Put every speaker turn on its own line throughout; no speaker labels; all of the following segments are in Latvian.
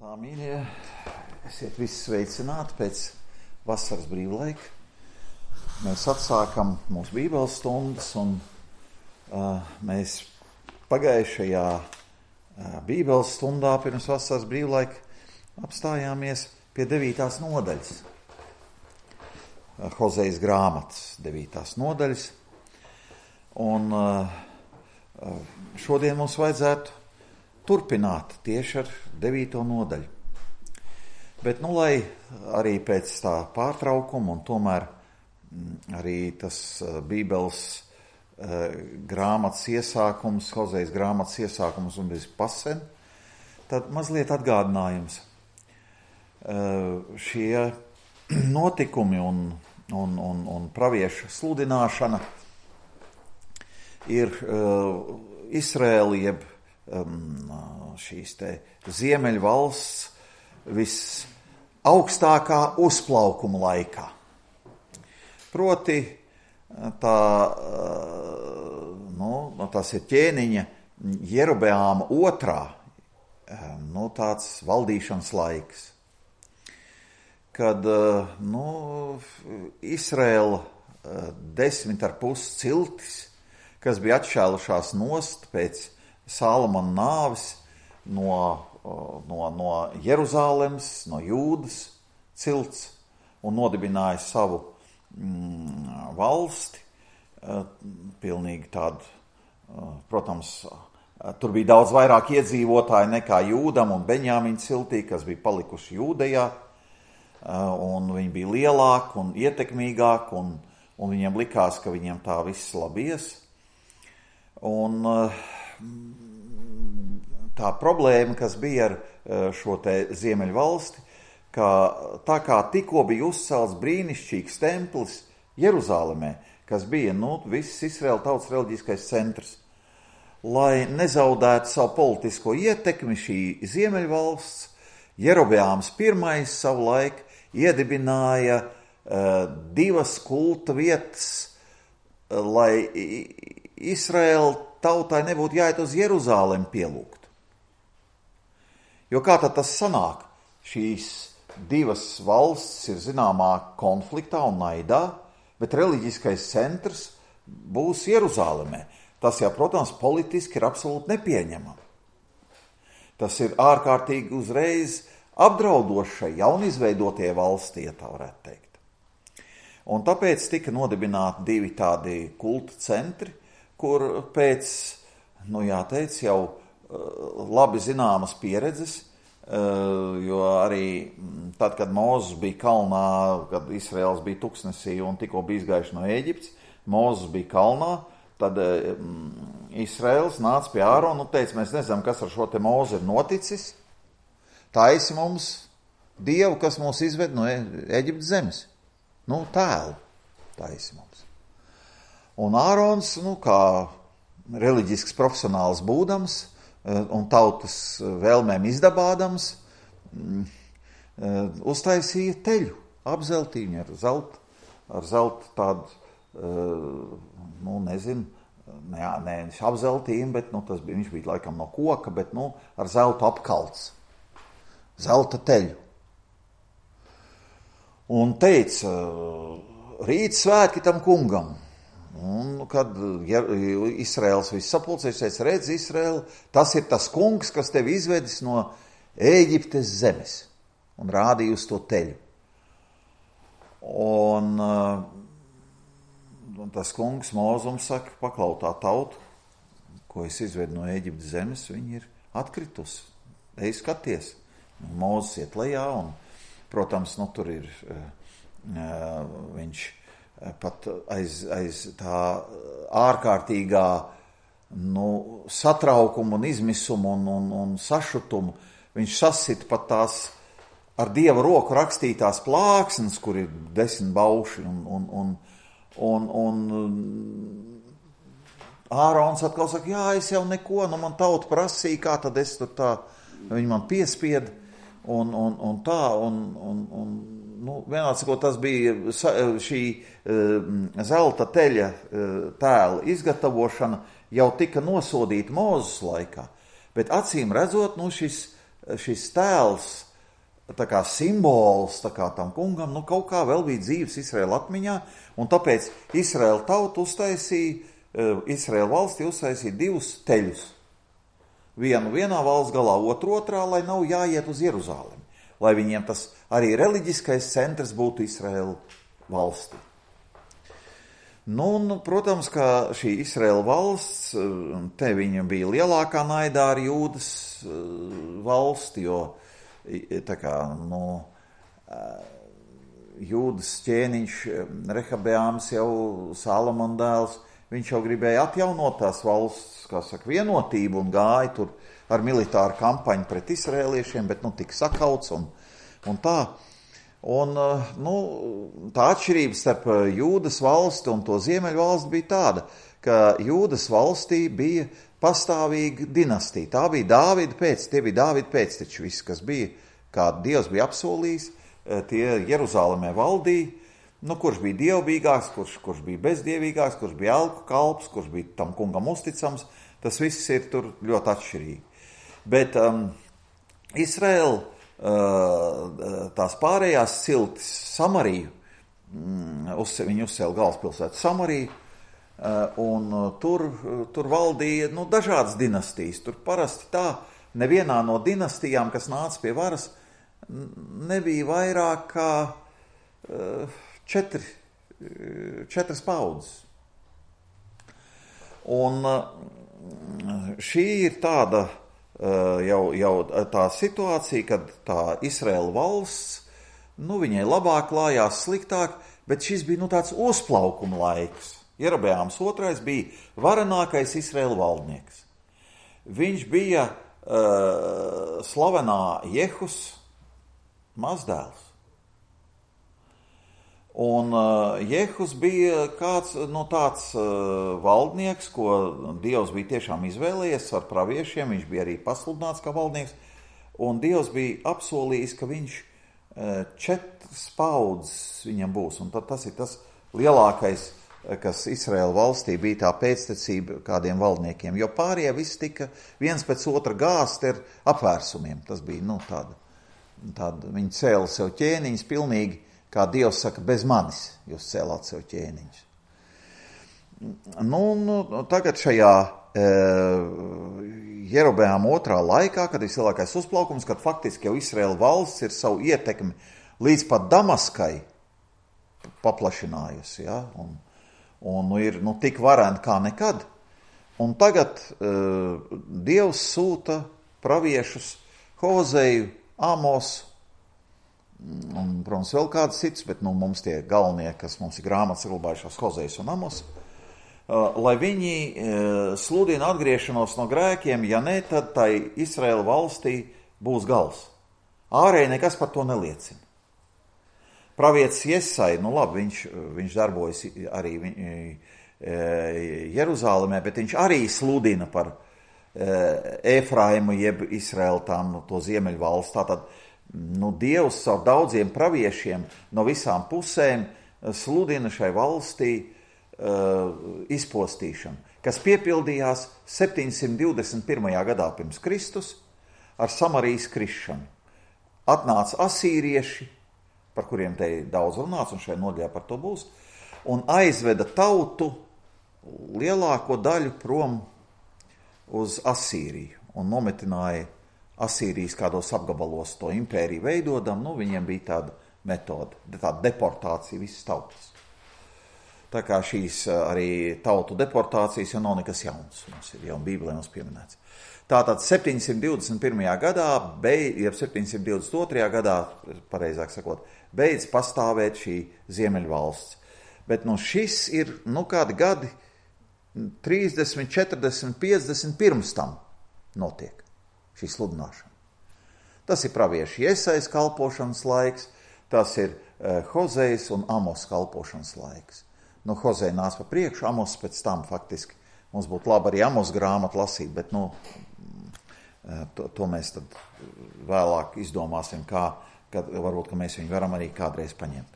Tā, mīļie, esiet visi sveicināti pēc vasaras brīvlaika. Mēs atsākam mūsu bībeles stundas un mēs pagājušajā bībeles stundā pirms vasaras brīvlaika apstājāmies pie 9. nodaļas. Hozejas grāmatas 9. nodaļas. Un šodien mums vajadzētu turpināt tieši ar 9. nodaļu. Bet, lai arī pēc tā pārtraukuma un tomēr arī tas bībeles grāmatas iesākums, Hozejas grāmatas iesākums un bez pasen, tad mazliet atgādinājums. Šie notikumi un praviešu sludināšana ir Izraēla jeb šīs te Ziemeļvalsts visaugstākā uzplaukuma laikā. Proti, tas ir ķēniņa Jerobeāma otrā, tāds valdīšanas laiks, kad Izraēla 10,5 ciltis, kas bija atšķēlušās nost pēc Salomona nāves no Jeruzālemes, no Jūdas cilts un nodibināja savu valsti. Pilnīgi tādu, protams, tur bija daudz vairāk iedzīvotāji nekā Jūdam un Beņāmiņa ciltī, kas bija palikuši Jūdejā, un viņi bija lielāki un ietekmīgāki, un viņiem likās, ka viņiem tā viss labies. Un tā problēma, kas bija ar šo te Ziemeļvalsti, ka tā kā tikko bija uzcelts brīnišķīgs templis Jeruzālemē, kas bija, viss Izraēla tautas reliģiskais centrs, lai nezaudētu savu politisko ietekmi šī Ziemeļvalsts, Jerobeāms I savulaik iedibināja 2 kulta vietas, lai Izraēla tautai nebūtu jāiet uz Jeruzālemi pielūgt. Jo kā tad tas sanāk? Šīs 2 valstis ir zināmā konfliktā un naidā, bet reliģiskais centrs būs Jeruzālemē. Tas jau, protams, politiski ir absolūti nepieņemami. Tas ir ārkārtīgi uzreiz apdraudošai jaunizveidotie valstī, ja tā varētu teikt. Un tāpēc tika nodibināti 2 tādi kulta centri, kur pēc, jāteic, jau labi zināmas pieredzes, jo arī tad, kad Mūzes bija kalnā, kad Izraēls bija tuksnesī un tikko bija izgājuši no Ēģiptes, Mūzes bija kalnā, tad Izraēls nāca pie Ārona un teica, mēs nezinām, kas ar šo te Mūzi ir noticis, taisi mums Dievu, kas mūs izved no Ēģiptes zemes. Tēlu taisi mums. Un Ārons, kā reliģisks profesionāls būdams un tautas vēlmēm izdabādams, uztaisīja teļu, apzeltīņu ar zelta tādu, nevis apzeltījumu, bet viņš bija laikam no koka, bet ar zelta apkalts, zelta teļu. Un teica, rīt svētki tam kungam. Un kad Izraēls viss sapulcēs, teica, redz, Izraēla, tas ir tas kungs, kas tevi izvedis no Ēģiptes zemes. Un rādīja uz to teļu. Un tas kungs Mūzums saka, paklautā tautu, ko es izvedu no Ēģiptes zemes, viņi ir atkritusi. Ej skaties. Mūzes iet lejā un, protams, tur ir viņš pat aiz tā ārkārtīgā satraukuma un izmisuma un sašutumu. Viņš sasita pat tās ar Dieva roku rakstītās plāksnes, kur ir 10 bauši. Un Ārons atkal saka, jā, es jau neko, man tauta prasīja, kā tad es tur tā, viņi man piespieda un tā, vienāds, ko tas bija šī zelta teļa tēla izgatavošana jau tika nosodīta Mūzes laikā, bet acīm redzot, šis šis tēls, tā kā simbols, tā kā tam kungam, kaut kā vēl bija dzīves Izraēla atmiņā, un tāpēc Izraēla tauta Izraēla valsti uztaisīja 2 teļus. Vienu vienā valsts galā, otru otrā, lai nav jāiet uz Jeruzālemi, lai viņiem tas arī reliģiskais centrs būtu Izraēla valstī. Un, protams, ka šī Izraēla valsts, te viņa bija lielākā naidā ar Jūdas valsti, jo tā kā, Jūdas ķēniņš Rehabeāms jau Salomona dēls, viņš jau gribēja atjaunot tās valsts, kā saka, vienotību un gāja tur ar militāru kampaņu pret izraēliešiem, bet tika sakauts un tā. Un tā atšķirība starp Jūdas valsti un to ziemeļu valsti bija tāda, ka Jūdas valstī bija pastāvīga dinastija. Tā bija tie bija Dāvida pēcteči, visi, kas bija, kā Dievs bija apsolījis, tie Jeruzālemē valdīja, kurš bija dievbijīgāks, kurš bija bezdievīgāks, kurš bija elku kalps, kurš bija tam kungam uzticams, tas viss ir tur ļoti atšķirīgi. Bet Izraēla, tās pārējās ciltis Samariju, viņi uzcēla galvaspilsētu Samariju, un tur valdīja dažādas dinastijas. Tur parasti tā, nevienā no dinastijām, kas nāca pie varas, nebija vairāk kā 4 paudzes. Un šī ir tāda jau tā situācija, kad tā Izraēla valsts, viņai labāk klājās, sliktāk, bet šis bija tāds uzplaukuma laiks. Jerobeāms II bija varenākais Izraēla valdnieks. Viņš bija slavenā Jehus mazdēls. Un Jehus bija kāds tāds valdnieks, ko Dievs bija tiešām izvēlējies ar praviešiem, viņš bija arī pasludināts kā valdnieks, un Dievs bija apsolījis, ka viņš 4 paudzes viņam būs, un tad tas ir tas lielākais, kas Izraēla valstī bija tā pēctecība kādiem valdniekiem, jo pārējie visi tika viens pēc otra gāsti ar apvērsumiem, tas bija, tāda, viņi cēla sev ķēniņus pilnīgi, kā Dievs saka, bez manis jūs cēlāt sev ķēniņus. Tagad šajā Jerobeāma II laikā, kad ir lielākais uzplaukums, kad faktiski jau Izraēla valsts ir savu ietekmi līdz pat Damaskai paplašinājusi, ja? un ir tik varena kā nekad. Un tagad Dievs sūta praviešus Hozeju, Amosu, un, protams, vēl kāds cits, bet mums tie galvenie, kas mums ir grāmatas saglabājušās, Hozejs un Amos, lai viņi sludina atgriešanos no grēkiem, ja ne, tad tai Izraēla valstī būs gals. Ārēji nekas par to neliecina. Pravietis Jesai, labi, viņš darbojas arī Jeruzālemē, bet viņš arī sludina par Efraimu jeb Izraēlu to ziemeļu valsts. Tātad Dievs caur daudziem praviešiem no visām pusēm sludina šai valstī izpostīšanu, kas piepildījās 721. gadā pirms Kristus ar Samarijas krišanu. Atnāca asīrieši, par kuriem te daudz runāts, un šai nodaļā par to būs, un aizveda tautu lielāko daļu prom uz Asīriju un nometināja Asīrijas kādos apgabalos to impēriju veidodam, viņiem bija tāda metode, tāda deportācija visas tautas. Tā kā šīs arī tautu deportācijas jau nav nekas jauns, mums ir jau Bībelē mums pieminēts. Tātad 721. gadā, jeb 722. gadā, pareizāk sakot, beidz pastāvēt šī ziemeļvalsts. Bet šis ir, kādi gadi 30, 40, 50 pirms tam notiek. Šī sludināšana. Tas ir pravieši Jesais kalpošanas laiks, tas ir Hozejs un Amos kalpošanas laiks. Hozeja nāca pa priekšu, Amos pēc tam faktiski. Mums būtu labi arī Amos grāmatu lasīt, bet to mēs tad vēlāk izdomāsim, kad varbūt, ka mēs viņu varam arī kādreiz paņemt.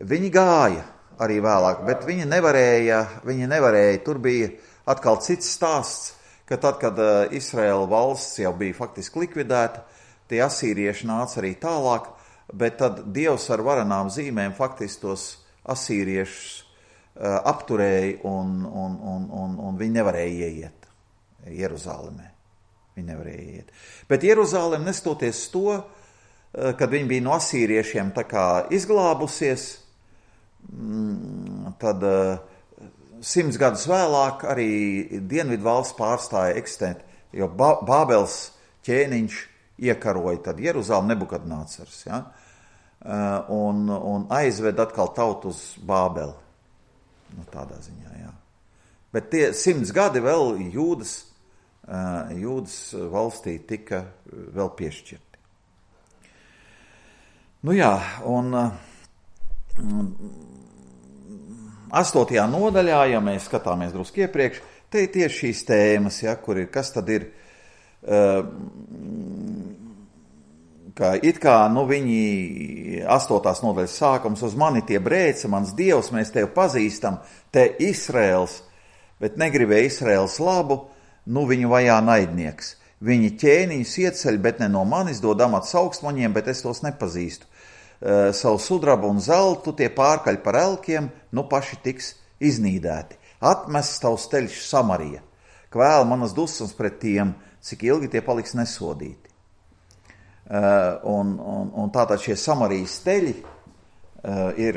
Viņi gāja arī vēlāk, bet viņi nevarēja, tur bija atkal cits stāsts, ka tad, kad Izraēla valsts jau bija faktiski likvidēta, tie asīrieši nāca arī tālāk, bet tad Dievs ar varenām zīmēm faktiski tos asīriešus apturēja un viņi nevarēja ieiet Jeruzālemē. Viņi nevarēja ieiet. Bet Jeruzālem, nestoties to, kad viņi bija no asīriešiem tā kā izglābusies, tad 100 gadus vēlāk arī Dienvidu valsts pārstāja eksistēt, jo Bābels ķēniņš iekaroja tad Jeruzālem Nebukadnācars, ja? Un aizved atkal tautu uz Bābeli. Nu, tādā ziņā, jā. Bet tie 100 gadi vēl Jūdas valstī tika vēl piešķirti. Nu jā, un 8. nodaļā, ja mēs skatāmies drusku iepriekš, te ir tieši šīs tēmas, ja, kur ir, kas tad ir, ka it kā, viņi 8. nodaļas sākums uz mani tie brēca, mans Dievs, mēs tevi pazīstam, te Izraels, bet negribēja Izraels labu, viņu vajā naidnieks. Viņi ķēniņus ieceļ, bet ne no manis dod amats augstmaņiem, bet es tos nepazīstu. Savu sudrabu un zeltu tie pārkaļ par elkiem, paši tiks iznīdēti. Atmests tavs ceļš Samarija, kvēl manas dusmas pret tiem, cik ilgi tie paliks nesodīti. Un tātad šie Samarijas teļi ir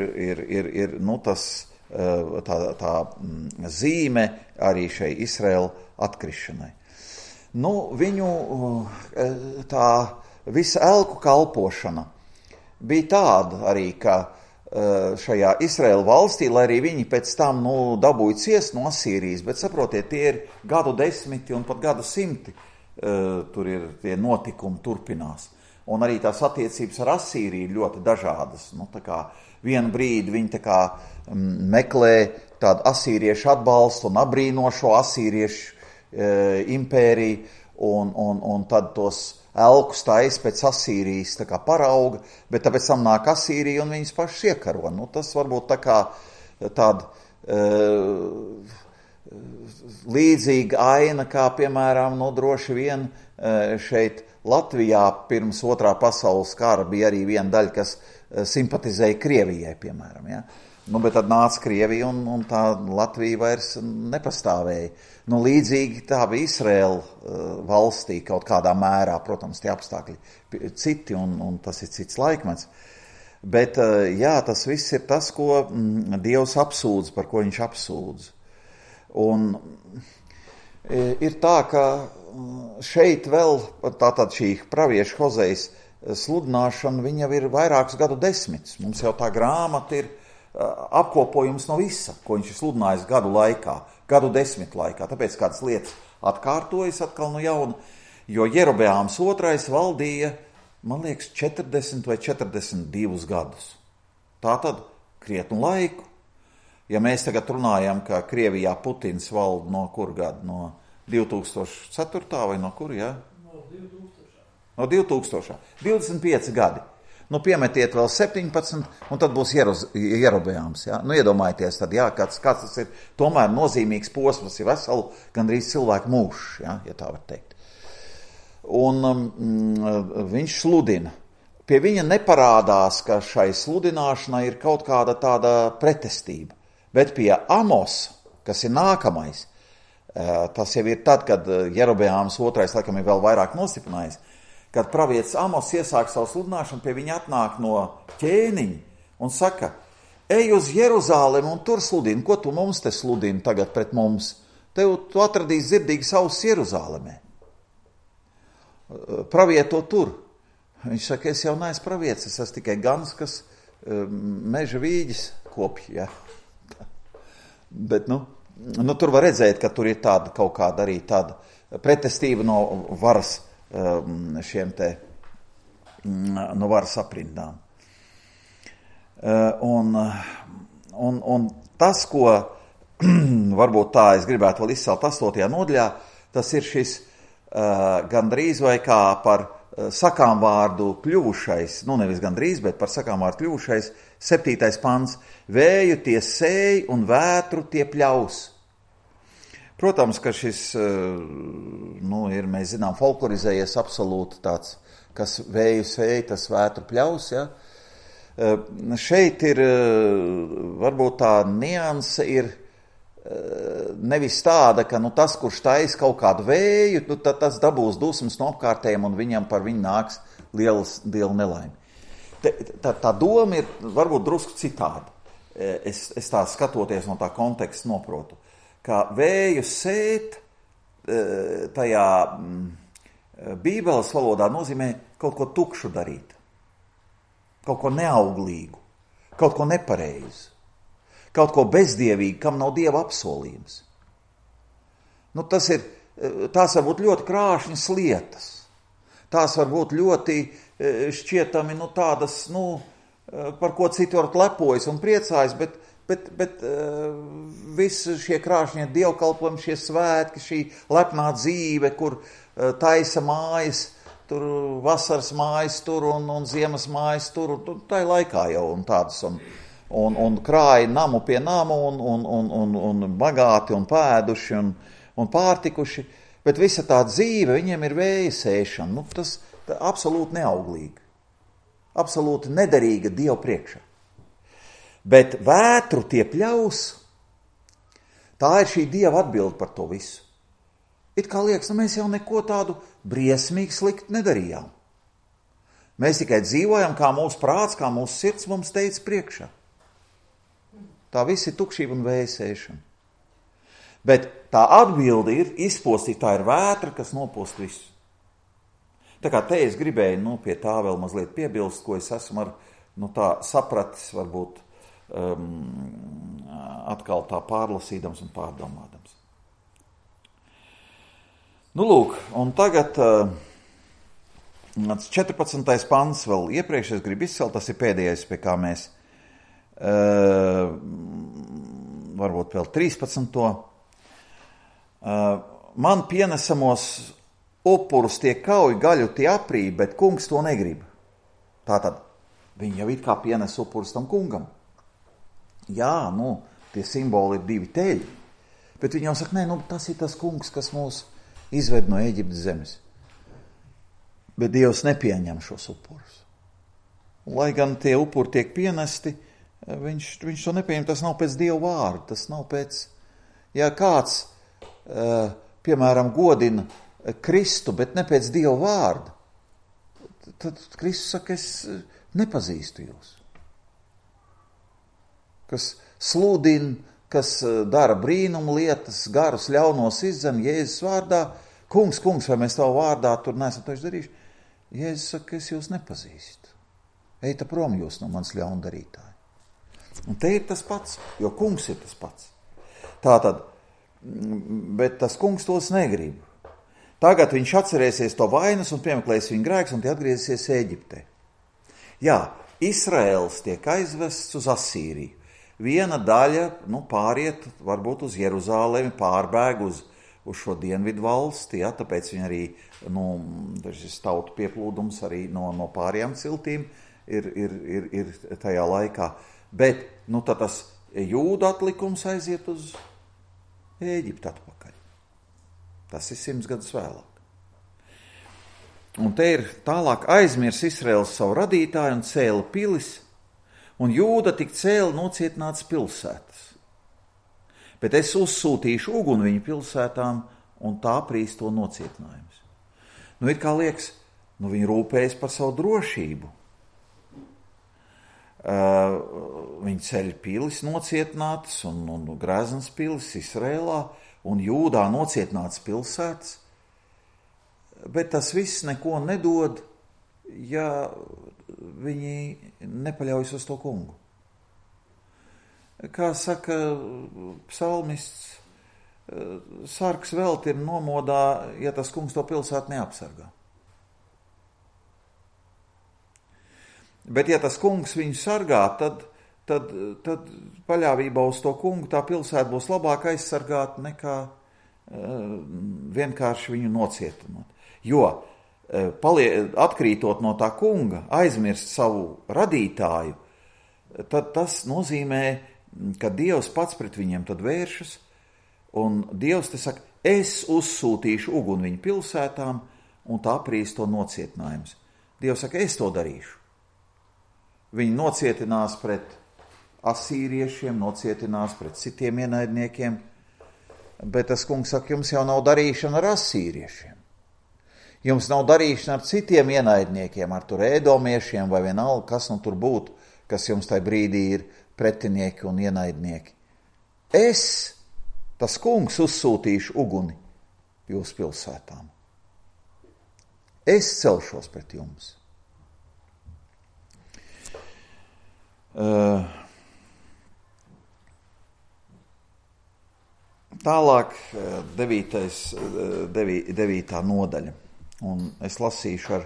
tā zīme arī šai Izraēla atkrišanai. Viņu tā visa elku kalpošana bija tāda arī, ka šajā Izraēla valstī, lai arī viņi pēc tam dabūja ciest no Asīrijas, bet saprotiet, tie ir gadu desmiti un pat gadu simti, tur ir tie notikumi turpinās. Un arī tās attiecības ar Asīriju ļoti dažādas. Tā kā vienu brīdi viņi tā kā meklē tādu asīriešu atbalstu un abrīno šo asīriešu impēriju, un tad tos elkus taisa pēc Asīrijas tā kā parauga, bet tāpēc tam nāk Asīrija un viņas pašas iekaro. Tas varbūt tā kā tāda līdzīga aina, kā piemēram, droši vien šeit Latvijā pirms 2. pasaules kara bija arī viena daļa, kas simpatizēja Krievijai, piemēram, ja? Bet tad nāca Krievija un tā Latvija vairs nepastāvēja. Līdzīgi tā bija Izraēla valstī kaut kādā mērā, protams, tie apstākļi citi un tas ir cits laikmets. Bet, jā, tas viss ir tas, ko Dievs apsūdz, par ko viņš apsūdz. Un ir tā, ka šeit vēl tātad šī pravieša Hozejas sludināšana, viņa ir vairākus gadu desmitus. Mums jau tā grāmata ir apkopojums no visa, ko viņš ir sludinājis gadu laikā, gadu desmitu laikā. Tāpēc kādas lietas atkārtojas atkal no jauna, jo Jerobeāms II valdīja, man liekas, 40 vai 42 gadus. Tātad krietnu laiku. Ja mēs tagad runājam, ka Krievijā Putins valda no kur gada? No 2004. vai no kur, jā? No 2000. 25 gadi. Piemetiet vēl 17, un tad būs Jerobeāms. Ja? Iedomājieties, tad, jā, kāds tas ir tomēr nozīmīgs posms, ir veselu gandrīz cilvēku mūžs, ja tā var teikt. Un viņš sludina. Pie viņa neparādās, ka šai sludināšanai ir kaut kāda tāda pretestība. Bet pie Amosa, kas ir nākamais, tas jau ir tad, kad Jerobeāms II laikam ir vēl vairāk nostiprinājis, kad pravietis Amos iesāk savu sludināšanu, pie viņa atnāk no ķēniņa un saka, ej uz Jeruzālemi un tur sludini, ko tu mums te sludini tagad pret mums? Tu atradīsi dzirdīgas ausis Jeruzālemē. Pravieto tur. Viņš saka, es jau neesmu pravietis, es esmu tikai gans, kas meža vīģis kopja. Ja. Bet, tur var redzēt, ka tur ir tāda kaut kāda arī tāda pretestība no varas šiem te no varas aprindām. Un tas, ko varbūt tā es gribētu vēl izcelt 8. nodaļā, tas ir šis gandrīz vai kā par sakāmvārdu kļuvušais, nevis gandrīz, bet par sakāmvārdu kļuvušais 7. pants. Vēju tie sēj un vētru tie pļaus. Protams, ka šis, ir, mēs zinām, folklorizējies absolūti tāds, kas vēju sēja, tas vētru pļaus, ja? Šeit ir, varbūt tā nianse ir nevis tāda, ka tas, kurš taisa kaut kādu vēju, tad tas dabūs dusmas no apkārtējiem un viņam par viņu nāks liela nelaime. Tā doma ir varbūt drusku citāda. Es tā skatoties no tā konteksta noprotu, ka vēju sēt tajā Bībeles valodā nozīmē kaut ko tukšu darīt, kaut ko neauglīgu, kaut ko nepareizu, kaut ko bezdievīgu, kam nav Dieva apsolījums. Tās var būt ļoti krāšņas lietas, tās var būt ļoti šķietami tādas, par ko citi varat lepojas un priecājas, bet visi šie krāšņie dievkalpojumi, šie svētki, šī lepnā dzīve, kur taisa mājas, tur vasaras mājas tur un ziemas mājas tur, tai laikā jau un tādas, un krāja namu pie namu un bagāti un pēduši un pārtikuši, bet visa tā dzīve, viņiem ir vēja sēšana, tas absolūti neauglīgi, absolūti nederīga Dievu priekšā. Bet vētru tie pļaus, tā ir šī Dieva atbilde par to visu. It kā liekas, mēs jau neko tādu briesmīgi sliktu nedarījām. Mēs tikai dzīvojam, kā mūsu prāts, kā mūsu sirds mums teica priekšā. Tā viss ir tukšība un vēja sēšana. Bet tā atbilde ir izpostīt, tā ir vētra, kas nopost visu. Tā kā te es gribēju pie tā vēl mazliet piebilst, ko es esmu tā sapratis, varbūt atkal tā pārlasīdams un pārdomādams. Lūk, un tagad 14. pants vēl iepriekš es gribu izcelt, tas ir pēdējais, pie kā mēs varbūt vēl 13. Man pienesamos upurus tie kauj, gaļu tie aprī, bet kungs to negrib. Tātad viņi jau it kā pienes upurus tam kungam. Jā, tie simboli ir 2 teļi, bet viņi jau saka, tas ir tas kungs, kas mūs izved no Ēģiptes zemes. Bet Dievs nepieņem šos upurus. Lai gan tie upuri tiek pienesti, viņš to nepieņem, tas nav pēc Dieva vārda, tas nav pēc, ja kāds, piemēram, godina Kristu, bet ne pēc Dieva vārda, tad Kristus saka, es nepazīstu jūs. Kas sludina, kas dara brīnumu lietas, garus ļaunos izdzen Jēzus vārdā. Kungs, vai mēs tavu vārdā tur neesam to izdarījuši? Jēzus saka, es jūs nepazīstu. Eita prom jūs no manas ļaundarītāji. Un te ir tas pats, jo kungs ir tas pats. Tātad, bet tas kungs tos negrib. Tagad viņš atcerēsies to vainas un piemeklēs viņu grēks un tie atgriezīsies Ēģiptē. Jā, Izraels tiek aizvests uz Asīriju. Viena daļa, pāriet varbūt uz Jeruzālemi, pārbēg uz šo dienvidu valsti, ja, tāpēc viņi arī, šis tautu pieplūdums arī no pārējām ciltīm ir tajā laikā. Bet, tad tas jūda atlikums aiziet uz Ēģiptu atpakaļ. Tas ir 100 gadus vēlāk. Un te ir tālāk aizmirs Izraels savu radītāju un cēla pilis, un Jūda tik cēla nocietināts pilsētas. Bet es uzsūtīšu uguni viņu pilsētām, un tā prīs to nocietinājums. Ir kā liekas, viņi rūpējas par savu drošību. Viņi ceļ pilis nocietinātas un Greznas pilis Izrēlā un Jūdā nocietinātas pilsētas, bet tas viss neko nedod, ja viņi nepaļaujas uz to kungu. Kā saka psalmists, sargs velti ir nomodā, ja tas kungs to pilsētu neapsargā. Bet ja tas kungs viņu sargā, tad paļāvībā uz to kungu tā pilsēta būs labāk aizsargāta nekā vienkārši viņu nocietinot. Jo atkrītot no tā kunga, aizmirst savu radītāju, tad tas nozīmē, ka Dievs pats pret viņiem tad vēršas, Un Dievs te saka, es uzsūtīšu uguni viņu pilsētām, un tā aprīs to nocietinājums. Dievs saka, es to darīšu. Viņi nocietinās pret asīriešiem, nocietinās pret citiem ienaidniekiem, bet tas kungs saka, jums jau nav darīšana ar asīriešiem. Jums nav darīšana ar citiem ienaidniekiem, ar tur ēdomiešiem vai vienalga, kas nu tur būtu, kas jums tajā brīdī ir pretinieki un ienaidnieki. Es, tas kungs, uzsūtīšu uguni jūsu pilsētām. Es celšos pret jums. Tālāk 9. nodaļa. Un es lasīšu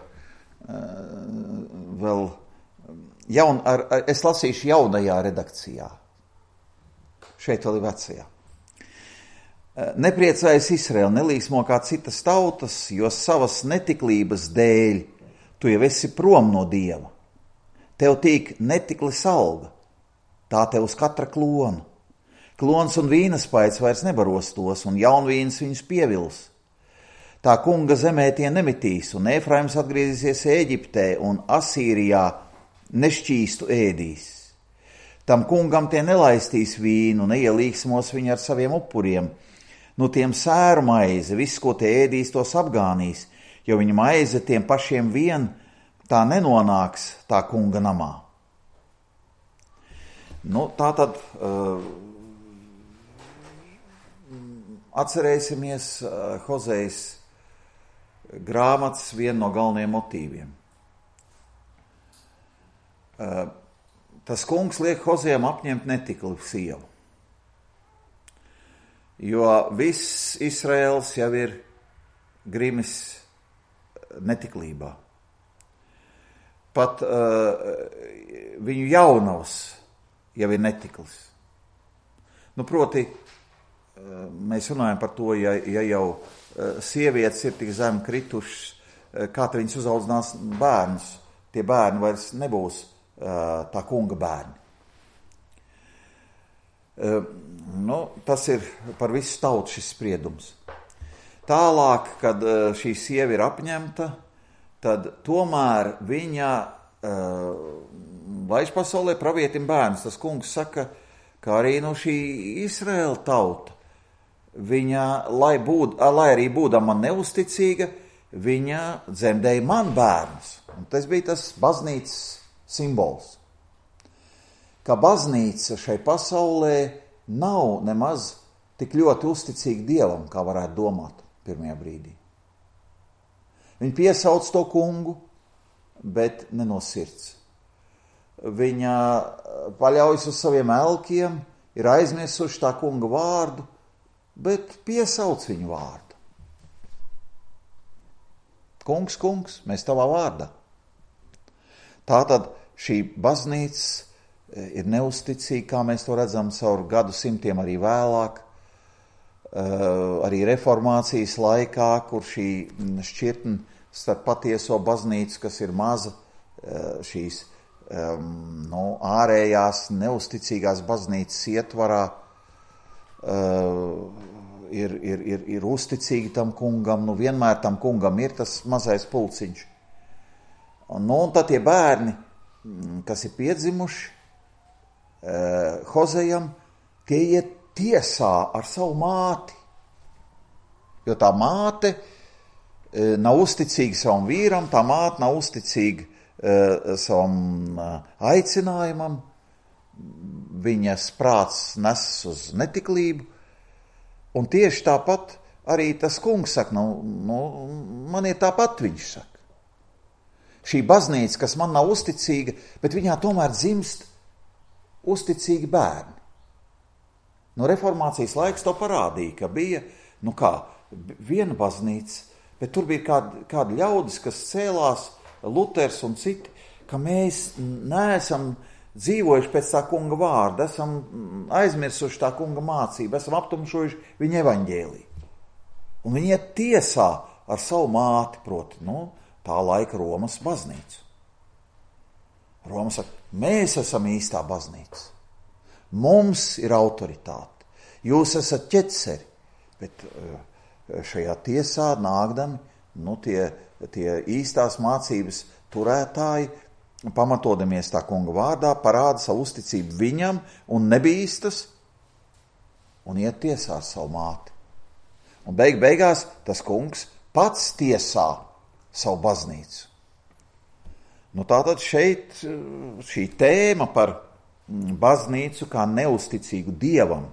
es lasīšu jaunajā redakcijā. Šeit vēl ir vecajā. Nepriecājas Izraēla, nelīsmo kā citas tautas, jo savas netiklības dēļ tu jau esi prom no Dieva. Tev tīk netiklis alga, tā tev uz katra klona. Klons un vīnaspaids vairs nebaros tos, un jaunvīns viņus pievils. Tā kunga zemē tie nemitīs, un Efraims atgriezīsies Ēģiptē, un Asīrijā nešķīstu ēdīs. Tam kungam tie nelaistīs vīnu, neielīksmos viņi ar saviem upuriem. Nu tiem sēru maize, viss, ko tie ēdīs, tos apgānīs, jo viņa maize tiem pašiem vien tā nenonāks tā kunga namā. Nu, tā tad atcerēsimies Hozejas grāmatas vienu no galvenajiem motīviem. Tas kungs liek Hozejam apņemt netikli sievu, jo viss Izraels jau ir grimis netiklībā. Pat viņu jaunavs jau ir netiklis. Nu, proti, mēs runājam par to, ja jau sievietes ir tik zem kritušas, kā te viņas uzaudzinās bērnus. Tie bērni vairs nebūs tā kunga bērni. Tas ir par visu tautu šis spriedums. Tālāk, kad šī sieva ir apņemta, tad tomēr viņa laiž pasaulē pravietim bērns. Tas kungs saka, ka arī no šī Izraēla tauta, viņa, lai arī būdama man neusticīga, viņa dzemdēja man bērnus. Un tas bija tas baznīcas simbols. Ka baznīca šai pasaulē nav nemaz tik ļoti uzticīga Dievam, kā varētu domāt pirmajā brīdī. Viņa piesauc to kungu, bet ne no sirds. Viņa paļaujas uz saviem elkiem, ir aizmirsuši tā kunga vārdu, bet piesauc viņu vārdu. Kungs, kungs, mēs tavā vārdā. Tātad šī baznīca ir neusticīga, kā mēs to redzam caur gadsimtiem arī vēlāk, arī reformācijas laikā, kur šī šķirtne starp patieso baznīcu, kas ir maza, šīs ārējās neusticīgās baznīcas ietvarā, ir uzticīgi tam kungam, vienmēr tam kungam ir tas mazais pulciņš. Un tad tie bērni, kas ir piedzimuši Hozejam, tie iet tiesā ar savu māti, jo tā māte nav uzticīga savam vīram, tā māte nav uzticīga savam aicinājumam, viņas prāts nesas uz netiklību, un tieši tāpat arī tas kungs saka, man ir tāpat, viņš saka. Šī baznīca, kas man nav uzticīga, bet viņā tomēr dzimst uzticīgi bērni. Reformācijas laiks to parādīja, ka bija, viena baznīca, bet tur bija kādi ļaudis, kas cēlās, Luters un citi, ka mēs neesam dzīvojuši pēc tā kunga vārda, esam aizmirsuši tā kunga mācību, esam aptumšojuši viņa evaņģēliju. Un viņi iet tiesā ar savu māti, proti, tā laika Romas baznīcu. Roma saka, mēs esam īstā baznīca. Mums ir autoritāte. Jūs esat ķeceri. Bet šajā tiesā nākdami, tie īstās mācības turētāji, pamatodamies tā kunga vārdā, parāda savu uzticību viņam un nebīstas un iet tiesāt savu māti. Un beigās tas kungs pats tiesā savu baznīcu. Tātad šeit šī tēma par baznīcu kā neusticīgu dievam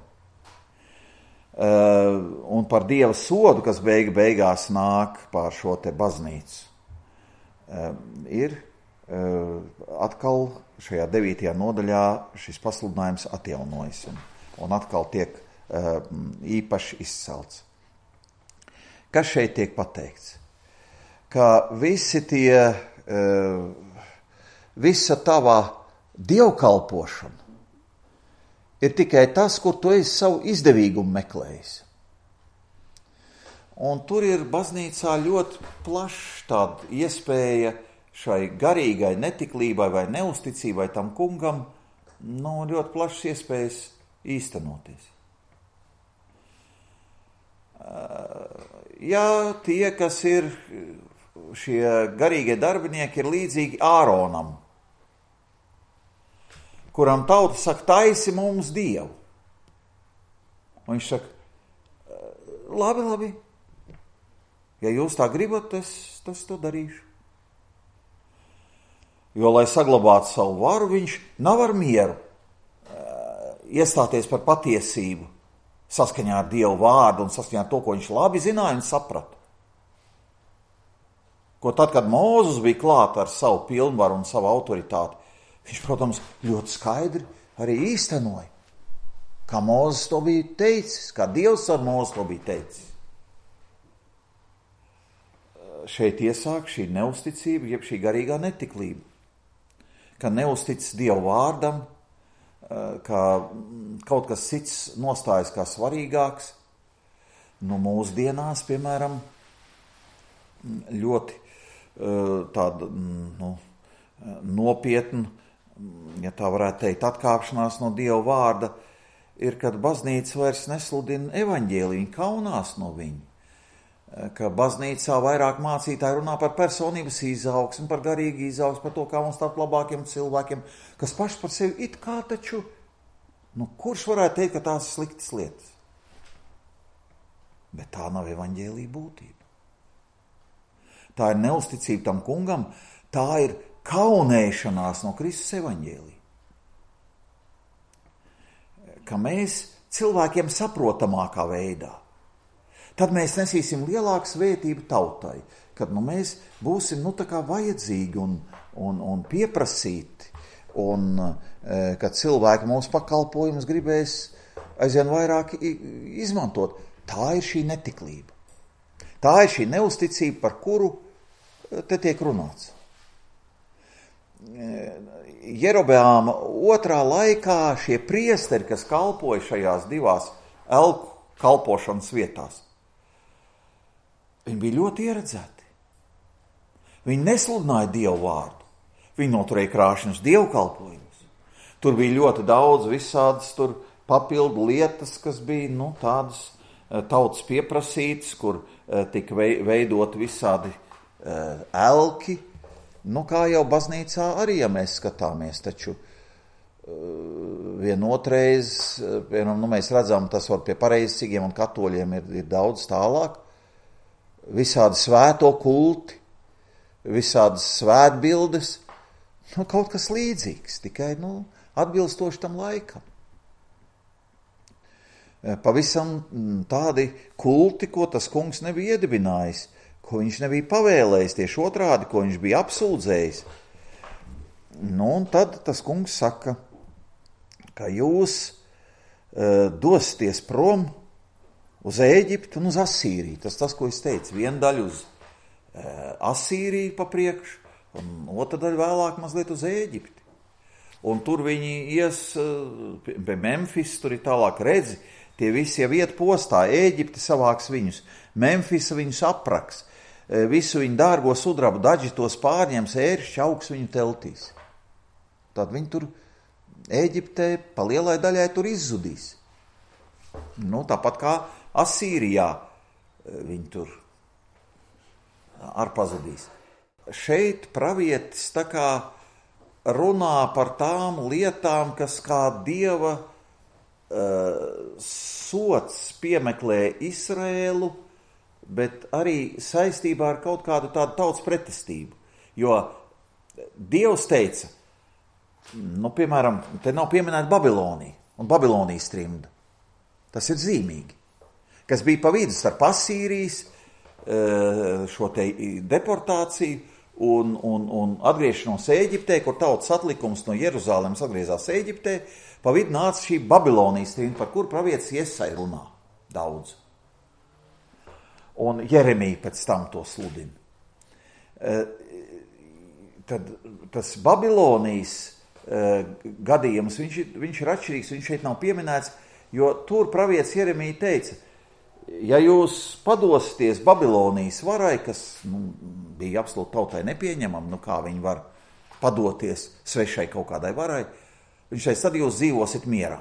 un par dieva sodu, kas beigās nāk pār šo te baznīcu, ir atkal šajā 9. nodaļā šis pasludinājums atjaunojas un atkal tiek īpaši izcelts. Kas šeit tiek pateikts? Ka visa tava dievkalpošana ir tikai tas, kur tu esi savu izdevīgumu meklējis. Un tur ir baznīcā ļoti plašs tāda iespēja šai garīgai netiklībai vai neusticībai tam kungam, ļoti plašs iespējas īstenoties. Ja tie, kas ir šie garīgie darbinieki, ir līdzīgi Āronam, kuram tauta saka, taisi mums dievu. Un viņš saka, labi, ja jūs tā gribat, es to darīšu. Jo, lai saglabātu savu varu, viņš nav ar mieru iestāties par patiesību saskaņā ar Dievu vārdu un saskaņā ar to, ko viņš labi zināja un saprata. Ko tad, kad Mūzes bija klāt ar savu pilnvaru un savu autoritāti, viņš, protams, ļoti skaidri arī īstenoja, kā Mūzes to bija teicis, kā Dievs ar Mūzes to bija teicis. Šeit iesāk šī neusticība, jeb šī garīgā netiklība, ka neustic Dievu vārdam, ka kaut kas cits nostājas kā svarīgāks. Mūsdienās, piemēram, ļoti tāda nopietna, ja tā varētu teikt, atkāpšanās no Dieva vārda, ir, kad baznīca vairs nesludina evaņģēliju, viņa kaunās no viņa. Ka baznīcā vairāk mācītāji runā par personības izaugsmi, par garīgu izaugsmi, par to, kā mums tapt labākiem cilvēkiem, kas paši par sevi it kā taču, kurš varētu teikt, ka tās ir sliktas lietas? Bet tā nav evaņģēlija būtība. Tā ir neusticība tam kungam, tā ir kaunēšanās no Kristus evaņģēlija. Ka mēs cilvēkiem saprotamākā veidā, tad mēs nesīsim lielāku svētību tautai, kad mēs būsim tā kā vajadzīgi un pieprasīti, un kad cilvēki mūsu pakalpojumus gribēs aizvien vairāk izmantot. Tā ir šī netiklība. Tā ir šī neusticība, par kuru te tiek runāts. Jerobeāma otrā laikā šie priesteri, kas kalpoja šajās divās elku kalpošanas vietās, viņi bija ļoti ieredzēti. Viņi nesludināja Dievu vārdu. Viņi noturēja krāšņus dievkalpojumus. Tur bija ļoti daudz visādas papildu lietas, kas bija tādas tautas pieprasītas, kur tika veidot visādi elki. Kā jau baznīcā arī, ja mēs skatāmies, taču vienotreiz, mēs redzam, tas var pie pareizcīgiem un katoļiem ir daudz tālāk. Visādi svēto kulti, visādas svētbildes, kaut kas līdzīgs, tikai atbilstoši tam laikam. Pavisam tādi kulti, ko tas kungs nebija iedibinājis, ko viņš nebija pavēlējis, tieši otrādi, ko viņš bija apsūdzējis. Un tad tas kungs saka, ka jūs dosieties prom uz Ēģipti un uz Asīriju. Tas, ko es teicu, viena daļa uz Asīriju pa priekšu, un otra daļa vēlāk mazliet uz Ēģipti. Un tur viņi ies pie Memfis, tur ir tālāk redzi, tie visi jau iet postā, Ēģipti savāks viņus, Memfisa viņus apraks, visu viņu dārgo sudrabu daži tos pārņems, ēršķi augs viņu teltīs. Tad viņi tur Ēģiptē pa lielai daļai tur izzudīs. Tāpat kā Asīrijā, viņi tur pazudīs. Šeit pravietis tā kā runā par tām lietām, kas kā Dieva sots piemeklē Izraēlu, bet arī saistībā ar kaut kādu tādu tautas pretestību. Jo Dievs teica, piemēram, te nav pieminēta Babilonija un Babilonijas trimda. Tas ir zīmīgi, kas bija pa vidu starp Asīrijas, šo te deportāciju un atgriešanos Ēģiptē, kur tautas atlikums no Jeruzālēmas atgriezās Ēģiptē, pa vidu nāca šī Babilonijas trimda, par kur pravietis Iesai runā daudz. Un Jeremija pēc tam to sludina. Tad tas Babilonijas gadījums, viņš ir atšķirīgs, viņš šeit nav pieminēts, jo tur pravietis Jeremija teica, ja jūs padosieties Babilonijas varai, kas bija absolūti tautai nepieņemama, kā viņi var padoties svešai kaut kādai varai, viņš teica, tad jūs dzīvosit mierā.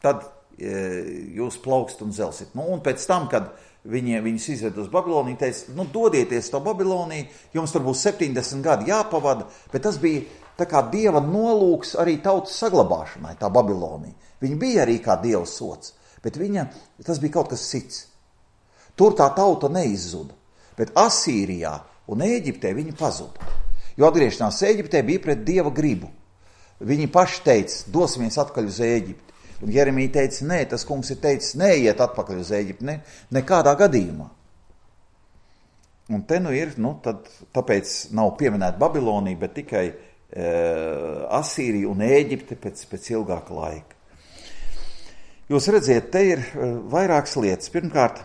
Tad jūs plaukst un zelsit. Un pēc tam, kad viņus izved uz Babiloniju, teica, dodieties to Babiloniju, jums tur būs 70 gadi jāpavada, bet tas bija tā kā Dieva nolūks arī tautas saglabāšanai, tā Babilonija. Viņa bija arī kā Dieva sots, bet tas bija kaut kas cits. Tur tā tauta neizzuda, bet Asīrijā un Ēģiptē viņi pazuda. Jo atgriešanās Ēģiptē bija pret Dieva gribu. Viņi paši teica, dosimies atpakaļ uz Ēģipti. Un Jeremija teica, nē, tas kungs ir teicis, neiet atpakaļ uz Ēģipti, nekādā gadījumā. Un te ir, tāpēc nav pieminēta Babilonija, bet tikai Asīrija un Ēģipte pēc ilgāka laika. Jūs redziet, te ir vairākas lietas. Pirmkārt,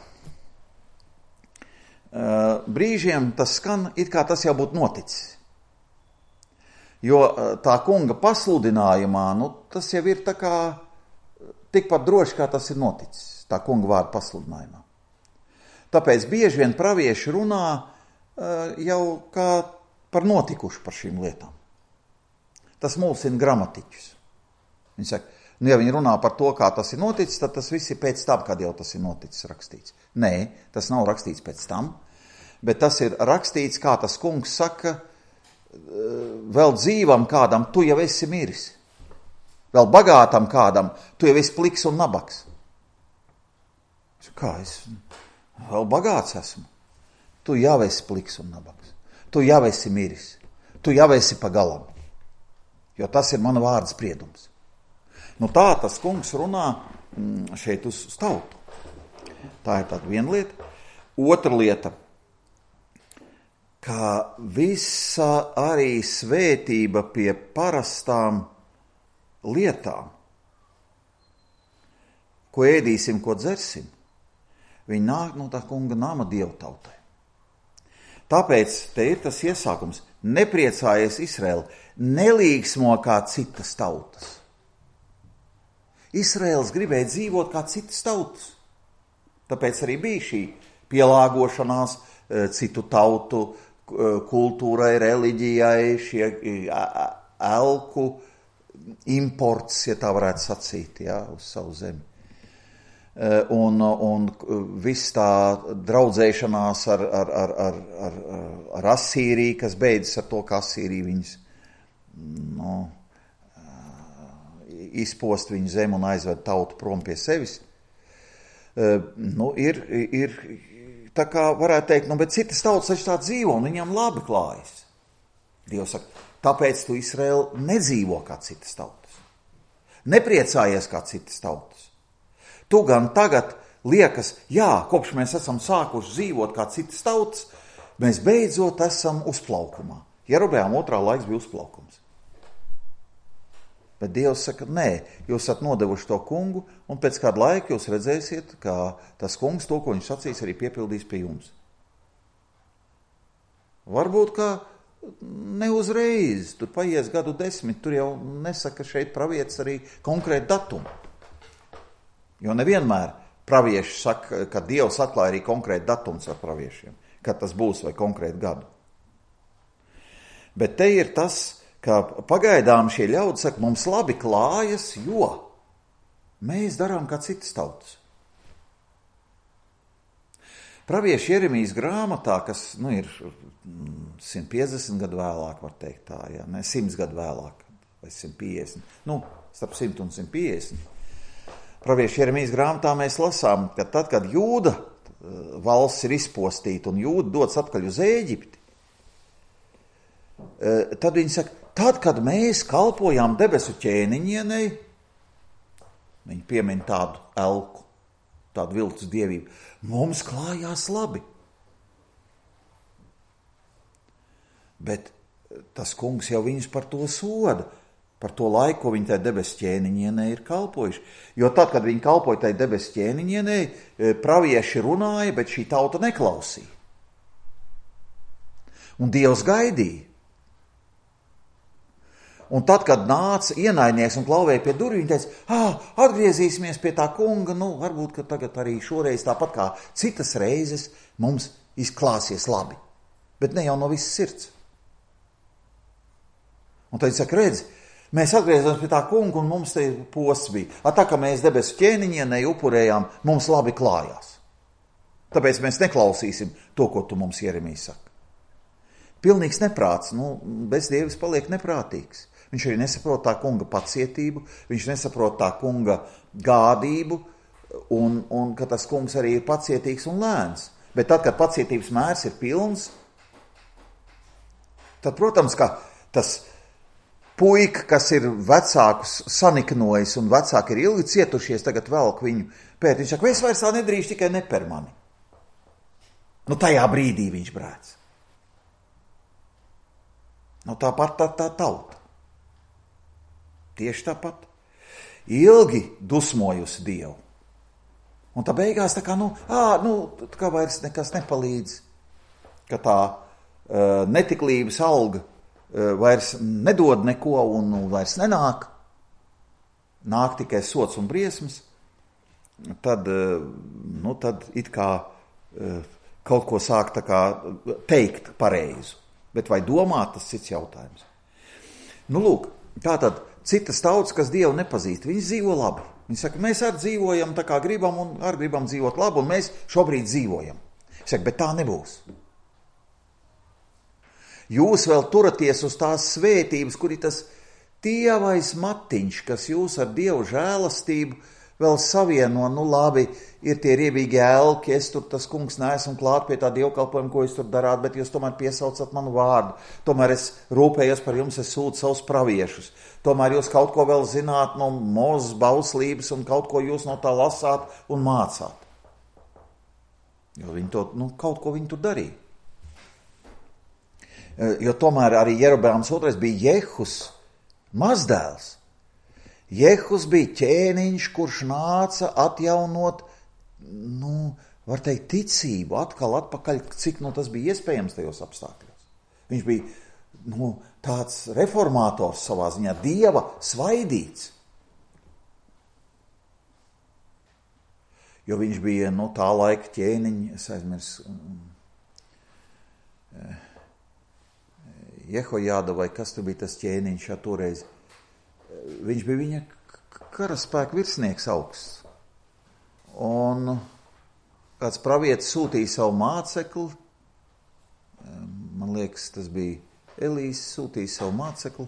brīžiem tas skan, it kā tas jau būtu noticis. Jo tā kunga pasludinājumā, tas jau ir tā kā tikpat droši, kā tas ir noticis, tā kunga vārda pasludinājumā. Tāpēc bieži vien pravieši runā jau kā par notikušu par šīm lietām. Tas mulsina gramatiķus. Viņi saka, ja viņi runā par to, kā tas ir noticis, tad tas viss ir pēc tam, kad jau tas ir noticis rakstīts. Nē, tas nav rakstīts pēc tam, bet tas ir rakstīts, kā tas kungs saka, vēl dzīvam kādam, tu jau esi miris. Vēl bagātam kādam, tu jau esi pliks un nabaks. Kā es vēl bagāts esmu? Tu jau esi pliks un nabaks. Tu jau esi miris. Tu jau esi pa galam. Jo tas ir mana vārda spriedums. Tā tas kungs runā šeit uz tautu. Tā ir tāda viena lieta. Otra lieta, ka visa arī svētība pie parastām lietām, ko ēdīsim, ko dzersim, viņi nāk no tā kunga nama Dievu tautai. Tāpēc te ir tas iesākums. Nepriecājies Izraēla, nelīgsmo kā citas tautas. Izraēls gribēja dzīvot kā citas tautas. Tāpēc arī bija šī pielāgošanās citu tautu kultūrai, reliģijai, šie elku imports, ja tā varētu sacīt, uz savu zemi. Un viss tā draudzēšanās ar Asīriju, kas beidzas ar to, ka Asīrija viņus izpost viņu zemi un aizved tautu prom pie sevis, ir tā kā varētu teikt, bet citas tautas taču tā dzīvo un viņam labi klājas. Dievs saka, tāpēc tu, Izraēl, nedzīvo kā citas tautas. Nepriecājies kā citas tautas. Tu gan tagad liekas, kopš mēs esam sākuši dzīvot kā citas tautas, mēs beidzot esam uzplaukumā. Jerobeām 2. laiks bija uzplaukums. Bet Dievs saka, nē, jūs esat nodevuši to kungu, un pēc kāda laika jūs redzēsiet, ka tas kungs to, ko viņš sacīs, arī piepildīs pie jums. Varbūt, ka ne uzreiz, tur paies gadu 10, tur jau nesaka šeit pravietis arī konkrētu datumu. Jo nevienmēr pravieši saka, ka Dievs atklāja arī konkrētu datums ar praviešiem, kad tas būs vai konkrētu gadu. Bet te ir tas, ka pagaidām šie ļaudi saka, mums labi klājas, jo mēs darām kā citas tautas. Pravieša Jeremijas grāmatā, kas ir 150 gadu vēlāk, var teikt tā, 100 gadu vēlāk, vai 150, starp 100 un 150. Pravieša Jeremijas grāmatā mēs lasām, ka tad, kad Jūda valsts ir izpostīta un Jūda dodas atpakaļ uz Ēģipti, tad viņi saka, tad, kad mēs kalpojām debesu ķēniņienei, viņi piemin tādu elku, tādu viltus dievību, mums klājās labi. Bet tas kungs jau viņus par to soda, par to laiku, ko viņi tai debesu ķēniņienei ir kalpojuši. Jo tad, kad viņi kalpoja tai debesu ķēniņienei, pravieši runāja, bet šī tauta neklausīja. Un Dievs gaidīja. Un tad, kad nāca ienaidnieks un klauvēja pie durvīm, viņi teica, atgriezīsimies pie tā kunga, varbūt, ka tagad arī šoreiz tāpat kā citas reizes mums izklāsies labi. Bet ne jau no visas sirds. Un tad viņi saka, redzi, mēs atgriezāmies pie tā kunga un mums te posts bija. Tā kā mēs debesu ķēniņienei upurējām, mums labi klājās. Tāpēc mēs neklausīsim to, ko tu mums Jeremijs saka. Pilnīgs neprāts, bez Dievs paliek neprātīgs. Viņš arī nesaprot tā kunga pacietību, viņš nesaprot tā kunga gādību, un ka tas kungs arī ir pacietīgs un lēns. Bet tad, kad pacietības mērs ir pilns, tad, protams, ka tas puika, kas ir vecākus saniknojis un vecāki ir ilgi cietušies, tagad velk viņu pēt. Viņš saka, es vairs tā nedrīkst, tikai ne per mani. Tajā brīdī viņš brēc. Tāpat tā tauta. Tieši tāpat. Ilgi dusmojusi Dievu. Un tā beigās tā kā, kā vairs nekas nepalīdz. Ka tā netiklības alga vairs nedod neko un vairs nenāk. Nāk tikai sots un briesmas. Tad it kā kaut ko sāk tā kā teikt pareizu. Bet vai domāt, tas cits jautājums. Lūk, tātad citas tautas, kas Dievu nepazīst, viņi dzīvo labi. Viņi saka, mēs arī dzīvojam tā kā gribam un arī gribam dzīvot labi, un mēs šobrīd dzīvojam. Viņi saka, bet tā nebūs. Jūs vēl turaties uz tās svētības, kur ir tas tievais matiņš, kas jūs ar Dievu žēlastību vēl savieno, labi, ir tie riebīgi elki, es tur tas kungs neesmu klāt pie tā dievkalpojuma, ko jūs tur darāt, bet jūs tomēr piesaucat manu vārdu. Tomēr es rūpējos par jums, es sūtu savus praviešus. Tomēr jūs kaut ko vēl zināt no Mozes bauslības un kaut ko jūs no tā lasāt un mācāt. Jo viņi to, kaut ko viņi tur darīja. Jo tomēr arī Jerobeāms II bija Jehus mazdēls. Jehus bija ķēniņš, kurš nāca atjaunot, var teikt, ticību atkal atpakaļ, cik tas bija iespējams tajos apstākļos. Viņš bija, tāds reformātors savā ziņā, Dieva svaidīts. Jo viņš bija, tā laika ķēniņš, es aizmirsu, Jehojāda vai kas tur bija tas ķēniņš toreiz. Viņš bija viņa karaspēka virsnieks augsts. Un kāds pravietis sūtīja savu mācekli, man liekas, tas bija Elīs, sūtīja savu mācekli.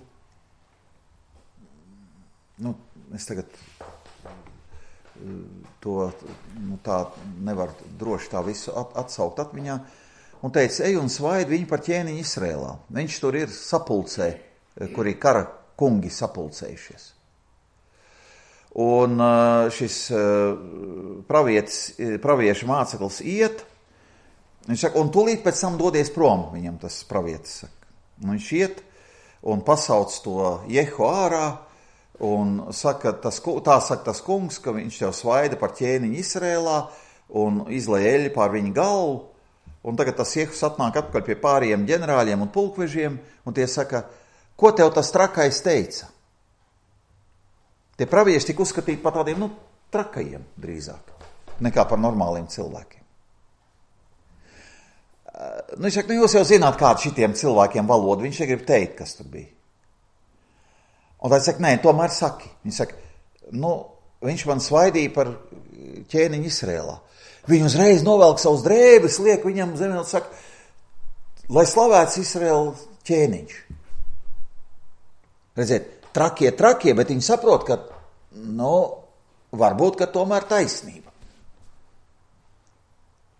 Es tagad to tā nevaru droši tā visu atsaukt atmiņā. Un teica, ej un svaidi viņu par ķēniņu Izrēlā. Viņš tur ir sapulcē, kur ir kara kungi sapulcējušies. Un šis pravieša māceklis iet, viņš saka, un tūlīt pēc tam dodies prom, viņam tas pravietis saka. Un viņš iet un pasauc to Jehu ārā un saka, tā saka tas kungs, ka viņš tev svaida par ķēniņu Izrēlā un izlej eļļu pār viņa galvu. Un tagad tas Jehus atnāk atpakaļ pie pārējiem ģenerāļiem un pulkvežiem, un tie saka, ko tev tas trakais teica? Tie pravieši tika uzskatīti par tādiem, trakajiem drīzāk, nekā par normāliem cilvēkiem. Viņš saka, jūs jau zināt, kāda šitiem cilvēkiem valoda, viņš negrib teikt, kas tur bija. Un tā saka, nē, tomēr saki. Viņš saka, viņš man svaidīja par ķēniņu Izrēlā. Viņi uzreiz novelk savus drēbes, liek viņam zemē un saka, lai slavēts Izrēla ķēniņš. Redziet, trakie, bet viņi saprot, ka, varbūt, ka tomēr taisnība.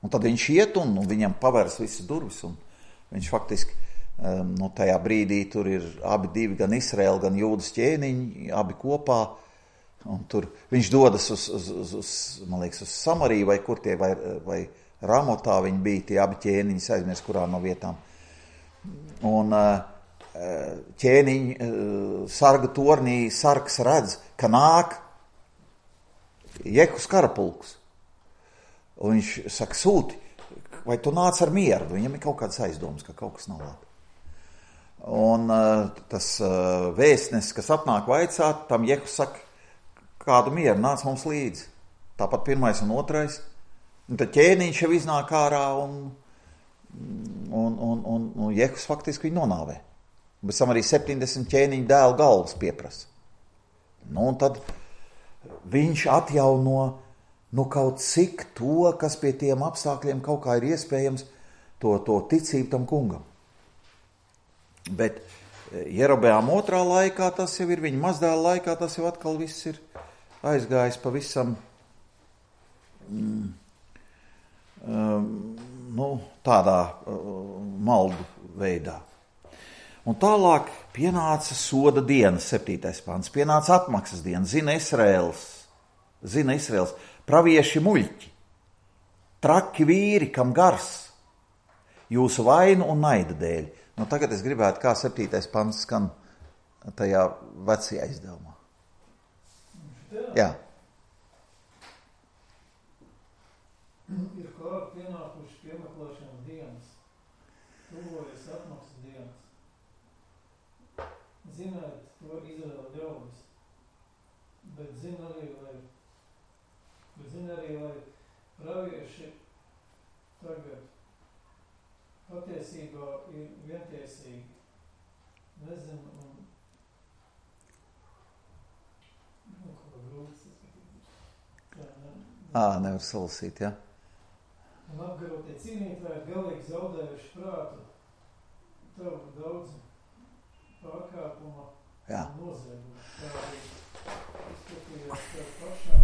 Un tad viņš iet un viņam pavērs visas durvis, un viņš faktiski, tajā brīdī tur ir abi divi, gan Izrēla, gan Jūdas ķēniņi, abi kopā, un tur viņš dodas man liekas, uz Samariju, vai kur tie, vai Ramotā viņi bija, tie abi ķēniņi, aizmirst, kurā no vietām. Un ķēniņi sarga tornī, sargs redz, ka nāk Jehus karapulks. Un viņš saka, sūti, vai tu nāc ar mieru? Viņam ir kaut kāds aizdoms, ka kaut kas nav labi. Un tas vēstnes, kas atnāk vaicāt, tam Jehus saka, kādu mieru, nāc mums līdzi. Tāpat pirmais un otrais. Un tad ķēniņš jau iznāk ārā un Jehus faktiski viņu nonāvē. Bet tam arī 70 ķēniņu dēlu galvas pieprasa. Un tad viņš atjauno kaut cik to, kas pie tiem apstākļiem kaut kā ir iespējams, to ticību tam kungam. Bet Jerobeām otrā laikā tas jau ir, viņa mazdēla laikā tas jau atkal viss ir aizgājis pavisam tādā maldu veidā. Un tālāk pienāca soda diena, 7. pants, pienāca atmaksas diena, zina Izraels, pravieši muļķi, traki vīri, kam gars, jūsu vainu un naida dēļ. Tagad es gribētu, kā 7. pants skan tajā vecajā izdevumā. Jā.
Ir klāt pienākuši piemeklēšanas dienas, tuvojas atmaksas dienas. Ziniet to Izraēla ļaudis, bet zina arī, lai pravieši tagad patiesībā ir vientiesīgi. Nezinu, ko grūts.
Nevar salasīt, jā.
Un apgarotie cīnītāji galīgi zaudējuši prātu, tavu daudz pārkāpuma un noziegumu. Tā arī izskatījās tev pašam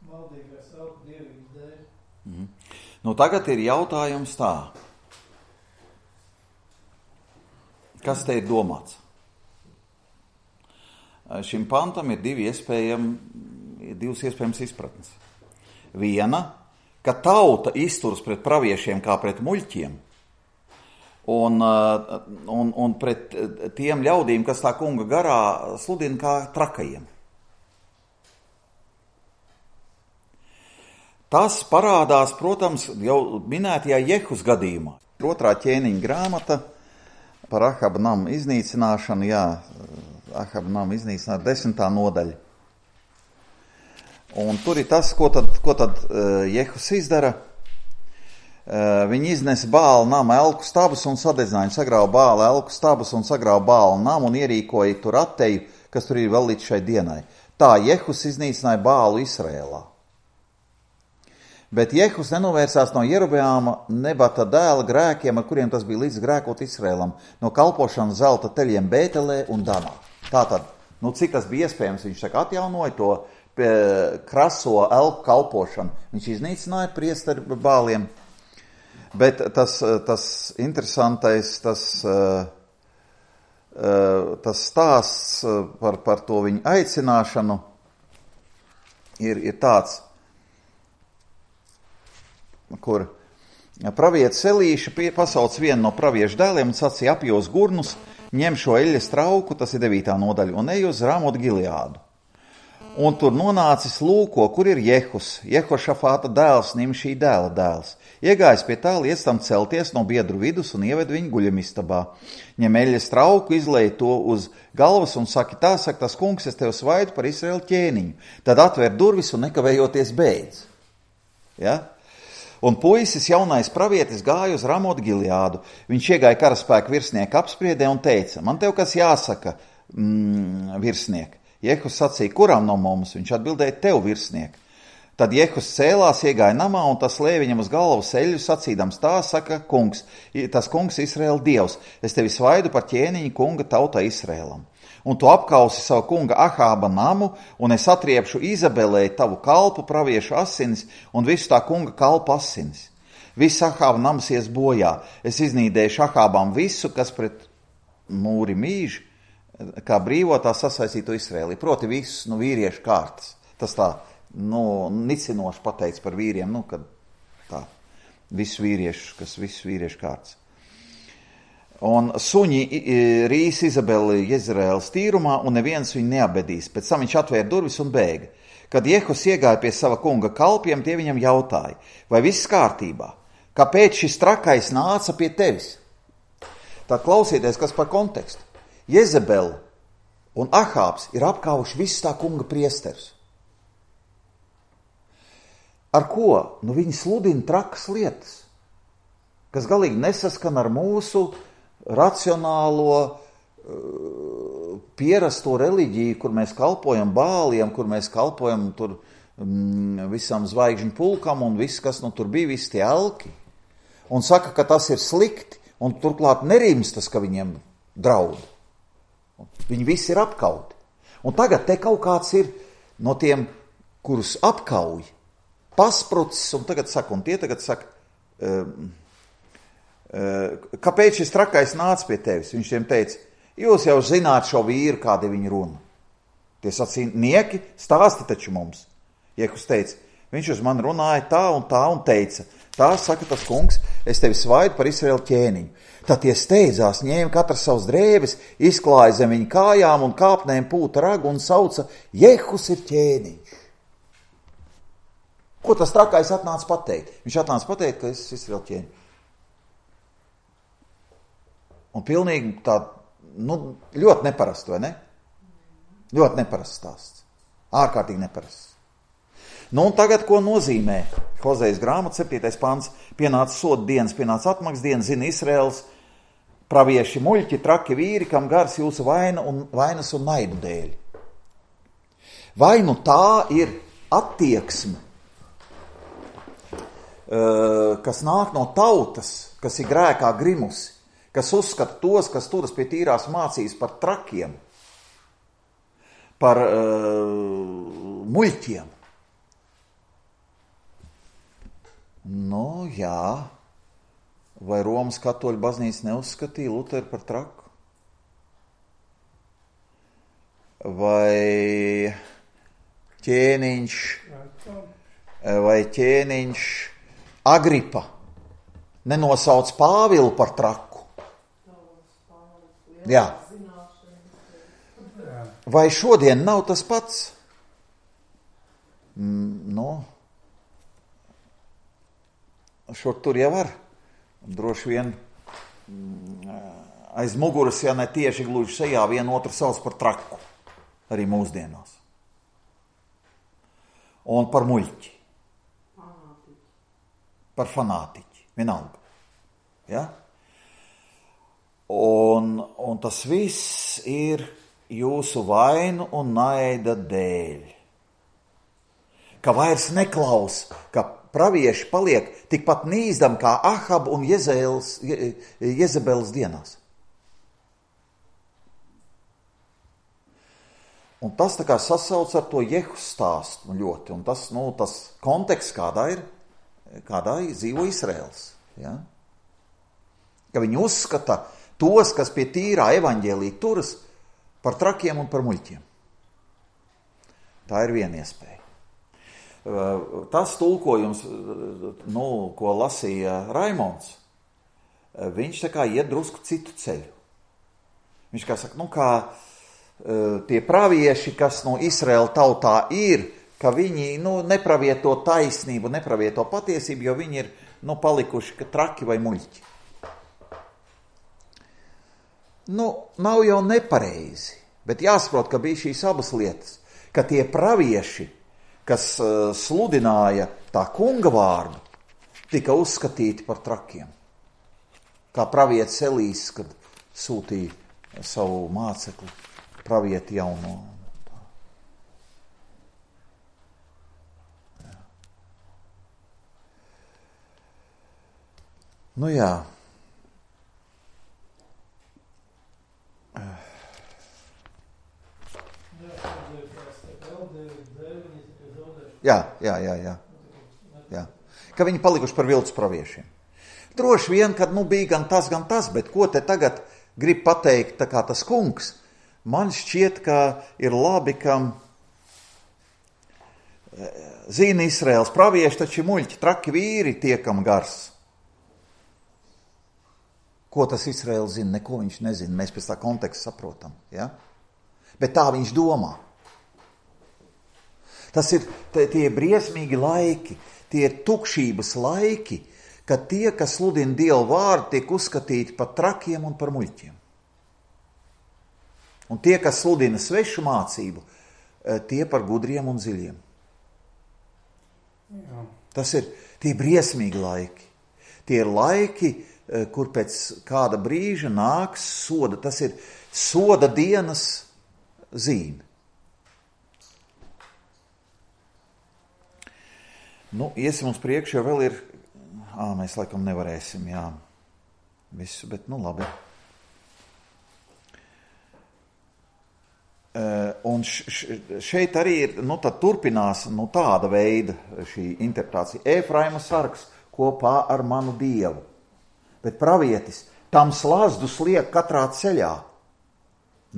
maldīgais elpu dievības dēļ.
Tagad ir jautājums tā. Kas te ir domāts? Šim pantam ir divas iespējams izpratnes. Viena, ka tauta izturas pret praviešiem kā pret muļķiem un pret tiem ļaudīm, kas tā kunga garā sludina kā trakajiem. Tas parādās, protams, jau minētajā Jehus gadījumā. 2. ķēniņa grāmata par Ahaba namu iznīcināšanu, Ahaba namu iznīcināšanu, 10. nodaļa. Un tur ir tas, ko tad Jehus izdara. Viņi iznesa Bāla nama elku stabus un sadedzināja, sagrāva Bāla elku stabus un sagrāva Bāla namu un ierīkoja tur atteju, kas tur ir vēl līdz šai dienai. Tā Jehus iznīcināja Bālu Izrēlā. Bet Jehus nenovērsās no Jerobeāma Nebata dēla grēkiem, ar kuriem tas bija līdz grēkot Izrēlam, no kalpošanas zelta teļiem Bētelē un Danā. Tātad, cik tas bija iespējams, viņš saka, atjaunoja to kraso elku kalpošanu. Viņš iznīcināja priesteri Bāliem. Bet tas interesantais, tas stāsts par to viņu aicināšanu ir tāds, kur pravietis Elīša pasauc vienu no praviešu dēliem un sacīja apjos gurnus, ņem šo eļļas trauku, tas ir 9. nodaļa, un ej uz Ramotu Gileādu. Un tur nonācis lūko, kur ir Jehus, Jehošafāta dēls, Nimšī dēla dēls. Iegājis pie tā, liec tam celties no biedru vidus un ieved viņu guļamistabā. Ņem eļļas trauku, izlej to uz galvas un saka, tas kungs, es tev svaidu par Izraēlu ķēniņu. Tad atver durvis un nekavējoties beidz. Ja? Un puisis, jaunais pravietis, gāja uz Ramotu Gileādu. Viņš iegāja karaspēku virsnieka apspriedē un teica, man tev kas jāsaka, virsniek. Jehus sacīja, kuram no mums? Viņš atbildēja, tev, virsnieki. Tad Jehus cēlās, iegāja namā, un tas lēja viņam uz galvu seļu, sacīdams, tā saka kungs, tas kungs Izraēla dievs, es tevi svaidu par ķēniņu kunga tautai Izraēlam. Un tu apkausi savu kunga Ahāba namu, un es atriepšu Izabelei tavu kalpu praviešu asinis un visu tā kunga kalpu asinis. Viss Ahāba nams ies bojā. Es iznīdēšu Ahābam visu, kas pret mūri mīž, kā brīvotā sasaistīto Izraēlī. Proti visus, vīriešu kārtas. Tas tā, nicinoši pateicis par vīriem, kad tā, visus vīriešu kārtas. Un suņi rīs Izabeli Jezreēlas tīrumā, un neviens viņu neabedīs. Pēc tam viņš atvēra durvis un bēga. Kad Jehus iegāja pie sava kunga kalpiem, tie viņam jautāja, vai viss kārtībā? Kāpēc šis trakais nāca pie tevis? Tad klausieties, kas par kontekstu. Jezebela un Ahābs ir apkāvuši visu tā kunga priesterus. Ar ko? Viņi sludina trakas lietas, kas galīgi nesaskan ar mūsu racionālo, pierasto reliģiju, kur mēs kalpojam bāliem, kur mēs kalpojam tur visam zvaigžņu pulkam un viss, kas tur bija, visi tie elki. Un saka, ka tas ir slikti, un turklāt nerimstas, ka viņiem draud. Viņi visi ir apkauti. Un tagad te kaut kāds ir no tiem, kurus apkauj, pasprucis, un tie tagad saka, kāpēc šis trakais nāca pie tevis? Viņš tiem teica, jūs jau zināt šo vīru, kādi viņi runa. Tie sacīja, nieki, stāsti taču mums. Jehus teica, viņš uz mani runāja tā un teica, tā saka tas kungs, es tevi svaidu par Izraēlu ķēniņu. Tad tie steidzās, ņēma katrs savus drēbes, izklāja zem viņa kājām un kāpnēm pūta ragu un sauca, Jehus ir ķēniņš. Ko tas trakais atnāca pateikt? Viņš atnāca pateikt, ka es esmu Izraēla ķēniņš. Un pilnīgi tā, ļoti neparasts, vai ne? Ļoti neparasts stāsts. Ārkārtīgi neparasts. Un tagad, ko nozīmē Hozejas grāmata, 7. pants, pienāca soda dienas, pienāca atmaksas dienas, zina Izraēls, pravieši muļķi, traki vīri, kam gars jūsu vainas un naidu dēļ. Vai tā ir attieksme, kas nāk no tautas, kas ir grēkā grimusi, kas uzskata tos, kas turas pie tīrās mācīs par trakiem, par muļķiem. Jā, vai Romas katoļu baznīca neuzskatīja Luteru par traku? Vai ķēniņš Agripa nenosauc Pāvilu par traku? Jā. Vai šodien nav tas pats? Šur tur jau var. Droši vien aiz muguras, ja ne tieši gluži sejā, vienu otru sauc par traku. Arī mūsdienās. Un par muļķi. Par fanātiķi. Vienalga. Ja? Un tas viss ir jūsu vainu un naida dēļ. Ka vairs neklaus, ka pravieši paliek tikpat nīzdam kā Ahab un Jezebeles dienās. Un tas tā kā sasauc ar to Jehus stāstu ļoti. Un tas konteksts, kādā dzīvo Izraēls. Ja? Ka viņi uzskata tos, kas pie tīrā evaņģēlī turas, par trakiem un par muļķiem. Tā ir viena iespēja. Tas tulkojums, ko lasīja Raimonds, viņš tā kā iet drusku citu ceļu. Viņš kā saka, kā tie pravieši, kas no Izraēla tautā ir, ka viņi nepravieto taisnību, nepravieto patiesību, jo viņi ir palikuši traki vai muļķi. Nav jau nepareizi, bet jāsaprot, ka bija šīs abas lietas, ka tie pravieši, kas sludināja tā kunga vārdu, tika uzskatīti par trakiem. Kā pravietis Elīs, kad sūtīja savu mācekli, pravieti jauno. Nu jā. Jā. Ka viņi palikuši par viltus praviešiem. Droši vien, kad bija gan tas, bet ko te tagad grib pateikt tā kā tas kungs, man šķiet, ka ir labi, ka zina Izraels pravieši, taču muļķi, traki vīri tiekam gars. Ko tas Izraels zina? Neko viņš nezina, mēs pēc tā konteksta saprotam. Ja? Bet tā viņš domā. Tas ir tie briesmīgi laiki, tie tukšības laiki, kad tie, kas sludina Dievu vārdu, tiek uzskatīti par trakiem un par muļķiem. Un tie, kas sludina svešu mācību, tie par gudriem un dziļiem. Jā. Tas ir tie briesmīgi laiki. Tie ir laiki, kur pēc kāda brīža nāks soda. Tas ir soda dienas zīme. Iesim uz priekšu, jo vēl ir... mēs laikam nevarēsim, jā. Visu, bet labi. Un šeit arī ir, tad turpinās tāda veida šī interpretācija. Efraima sargs kopā ar manu Dievu. Bet pravietis tam slazdus liek katrā ceļā.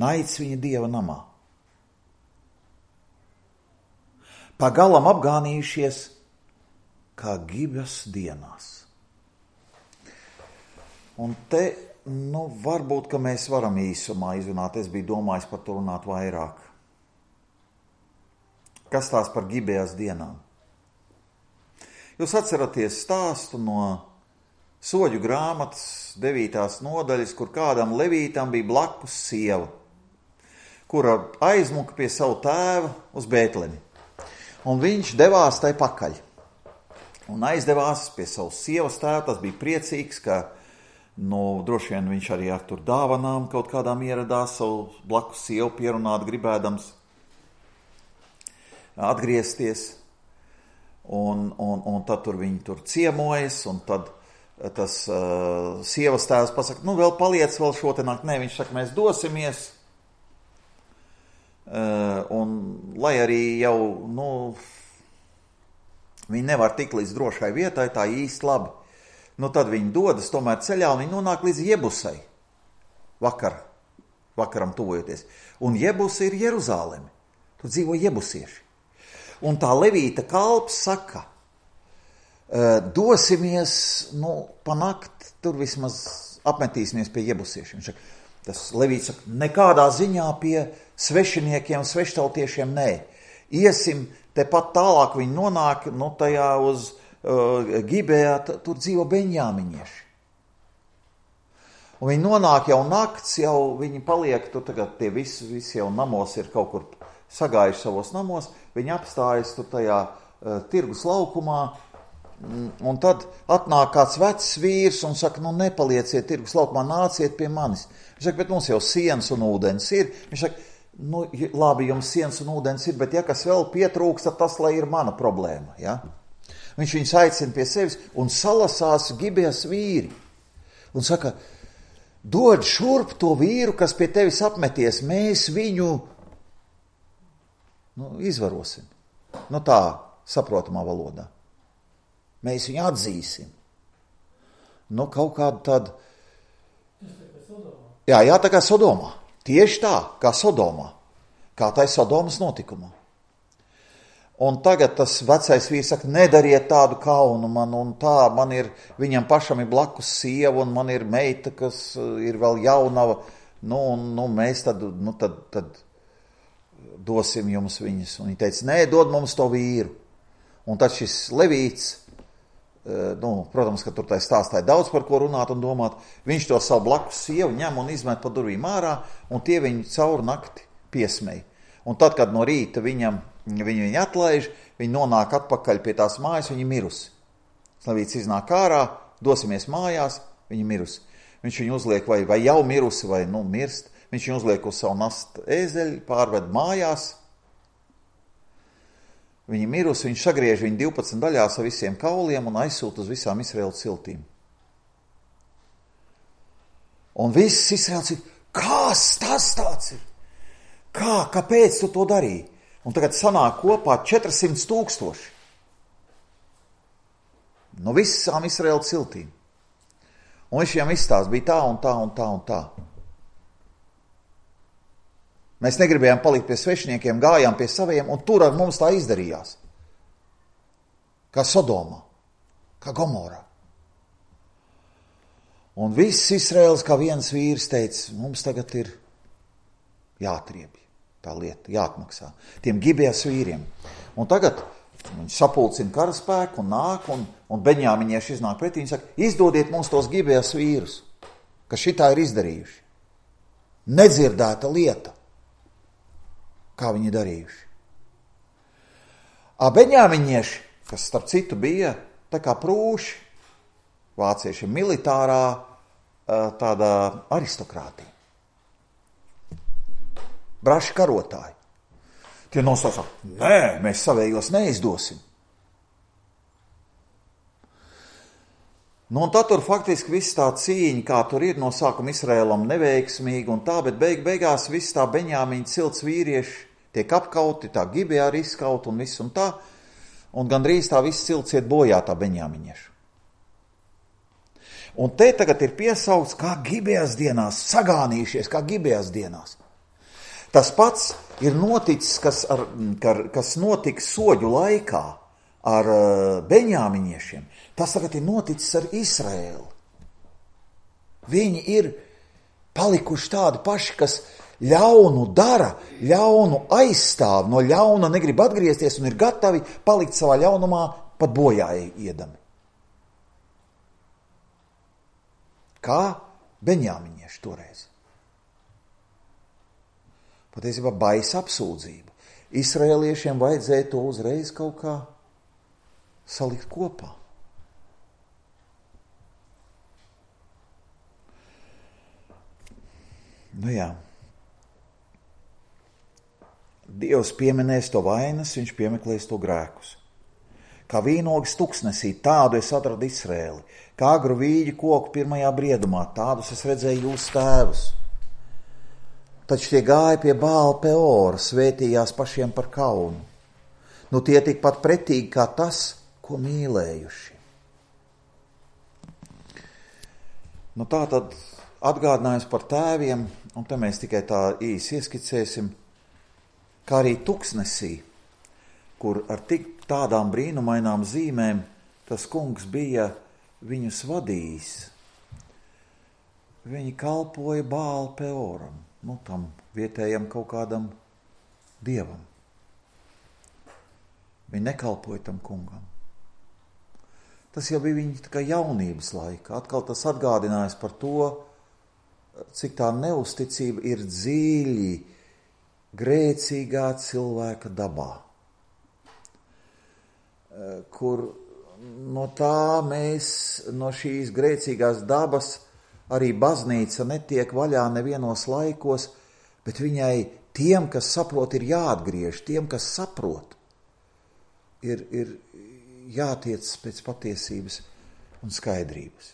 Naids viņa Dieva namā. Pagalam apgānījušies kā Gibas dienās. Un te, varbūt, ka mēs varam īsumā izrunāt. Es biju domājis par to runāt vairāk. Kas tās par Gibejas dienām? Jūs atceraties stāstu no Soļu grāmatas 9. nodaļas, kur kādam levītam bija blakus sieva, kura aizmuka pie savu tēva uz Bētlemi. Un viņš devās tai pakaļ. Un aizdevās pie savas sievas tēva. Tas bija priecīgs, ka droši vien viņš arī ar tur dāvanām kaut kādām ieradās, savu blakus sievu pierunāt, gribēdams atgriezties. Un tad tur viņi tur ciemojas, un tad tas sievas tēvs pasaka, vēl paliec vēl šo te nakt. Nē, viņš saka, mēs dosimies. Un lai arī jau, viņi nevar tikt līdz drošai vietai, tā īsti labi. Tad viņi dodas tomēr ceļā, un viņi nonāk līdz Jebusai. Vakaram tuvojoties. Un Jebusa ir Jeruzāleme. Tur dzīvo jebusieši. Un tā levīta kalps saka, dosimies, pa nakti, tur vismaz apmetīsimies pie jebusiešiem. Tas levīts saka, nekādā ziņā pie svešiniekiem, sveštautiešiem nē. Iesim tepat tālāk, viņi nonāk, tajā uz Gibejā, tur dzīvo beņjāmiņieši. Un viņi nonāk jau nakts, jau viņi paliek, tur tagad tie visi jau namos ir kaut kur sagājuši savos namos, viņi apstājas tur tajā tirgus laukumā, un tad atnāk kāds vecs vīrs un saka, nepalieciet tirgus laukumā, nāciet pie manis. Viņš saka, bet mums jau sienas un ūdens ir. Viņš saka, labi, jums sienas un ūdens ir, bet ja kas vēl pietrūks, tad tas, lai ir mana problēma, ja? Viņš viņus aicina pie sevis un salasās Gibejas vīri. Un saka, dod šurp to vīru, kas pie tevis apmeties, mēs viņu izvarosim. Tā saprotamā valodā. Mēs viņu atzīsim. Kaut kādu tādu... Jā, tā kā Sodomā. Tieši tā, kā Sodomā. Kā tai Sodomas notikumā. Un tagad tas vecais vīrs saka, nedariet tādu kaunu man, un tā, man ir, viņam pašam ir blakus sieva, un man ir meita, kas ir vēl jaunava, mēs tad dosim jums viņas. Un viņi teica, nē, dod mums to vīru. Un tad šis levīts, protams, ka tur tai stāstāja daudz par ko runāt un domāt, viņš to savu blakus sievu ņem un izmet pa durvīm ārā, un tie viņu caur nakti piesmēja. Un tad, kad no rīta viņu atlaiž, viņi nonāk atpakaļ pie tās mājas, viņi mirusi. Levīts iznāk ārā, dosimies mājās, viņi mirusi. Viņš viņu uzliek vai jau mirusi, vai mirst. Viņš viņu uzliek uz savu nastu ēzeļu, pārved mājās. Viņi mirusi, viņš sagriež viņu 12 daļās ar visiem kauliem un aizsūta uz visām Izraēlas ciltīm. Un viss Izraels ir, kas tas tāds ir? Kāpēc tu to darīji? Un tagad sanāk kopā 400 000. No visām Izraēla ciltīm. Un viņš viņam izstāsta, bija tā un tā un tā un tā. Mēs negribējām palikt pie svešiniekiem, gājām pie saviem, un tur ar mums tā izdarījās. Kā Sodomā, kā Gomorā. Un viss Izraēls kā viens vīrs teica, mums tagad ir jāatriebj tā lieta, jāatmaksā tiem Gibejas vīriem. Un tagad viņi sapulcina karaspēku un nāk, un beņāmiņieši iznāk pretī, viņi saka, izdodiet mums tos Gibejas vīrus, kas šitā ir izdarījuši. Nedzirdēta lieta, kā viņi darījuši. Beņāmiņieši, kas starp citu bija tā kā prūši, vācieši militārā tādā aristokrātija. Braši karotāji. Tie nosauca, nē, mēs savējos neizdosim. Nu, un tad tur faktiski viss tā cīņa, kā tur ir no sākuma Izraēlam neveiksmīgi un tā, bet beigās viss tā Beņāmiņa cilts vīrieši tiek apkauti, tā Gibejā arī izkaut un viss un tā, un gandrīz tā viss cilts iet bojā tā Beņāmiņiešu. Un te tagad ir piesaukts kā Gibejas dienās, sagānījušies kā Gibejas dienās. Tas pats ir noticis, kas notika soģu laikā ar beņāmiņiešiem. Tas tagad ir noticis ar Izraēlu. Viņi ir palikuši tādi paši, kas ļaunu dara, ļaunu aizstāv, no ļauna negrib atgriezties un ir gatavi palikt savā ļaunumā pat bojā iedami. Kā beņāmiņieši toreiz. Patiesībā baisa apsūdzība. Izraēliešiem vajadzēja to uzreiz kaut kā salikt kopā. Nu jā. Dievs pieminēs to vainas, viņš piemeklēs to grēkus. Kā vīnogas tuksnesī, tādu es atradu Izraēli. Kā agru vīģi koku pirmajā briedumā, tādus es redzēju jūsu tēvus. Taču tie gāja pie Bāla Peora, svētījās pašiem par kaunu. Nu tie tikpat pretīgi kā tas, ko mīlējuši. Nu tā tad atgādinājums par tēviem, un te mēs tikai tā īsi ieskicēsim, kā arī tuksnesī, kur ar tik tādām brīnumainām zīmēm tas kungs bija viņus vadījis. Viņi kalpoja Bāla Peoram. Tam vietējam kaut kādam dievam. Viņi nekalpoja tam kungam. Tas jau bija viņa tā kā jaunības laika. Atkal tas atgādinājās par to, cik tā neusticība ir dziļi grēcīgā cilvēka dabā. Kur no tā mēs, no šīs grēcīgās dabas, arī baznīca netiek vaļā nevienos laikos, bet viņai tiem, kas saprot, ir jāatgriež, tiem, kas saprot, ir jātiec pēc patiesības un skaidrības.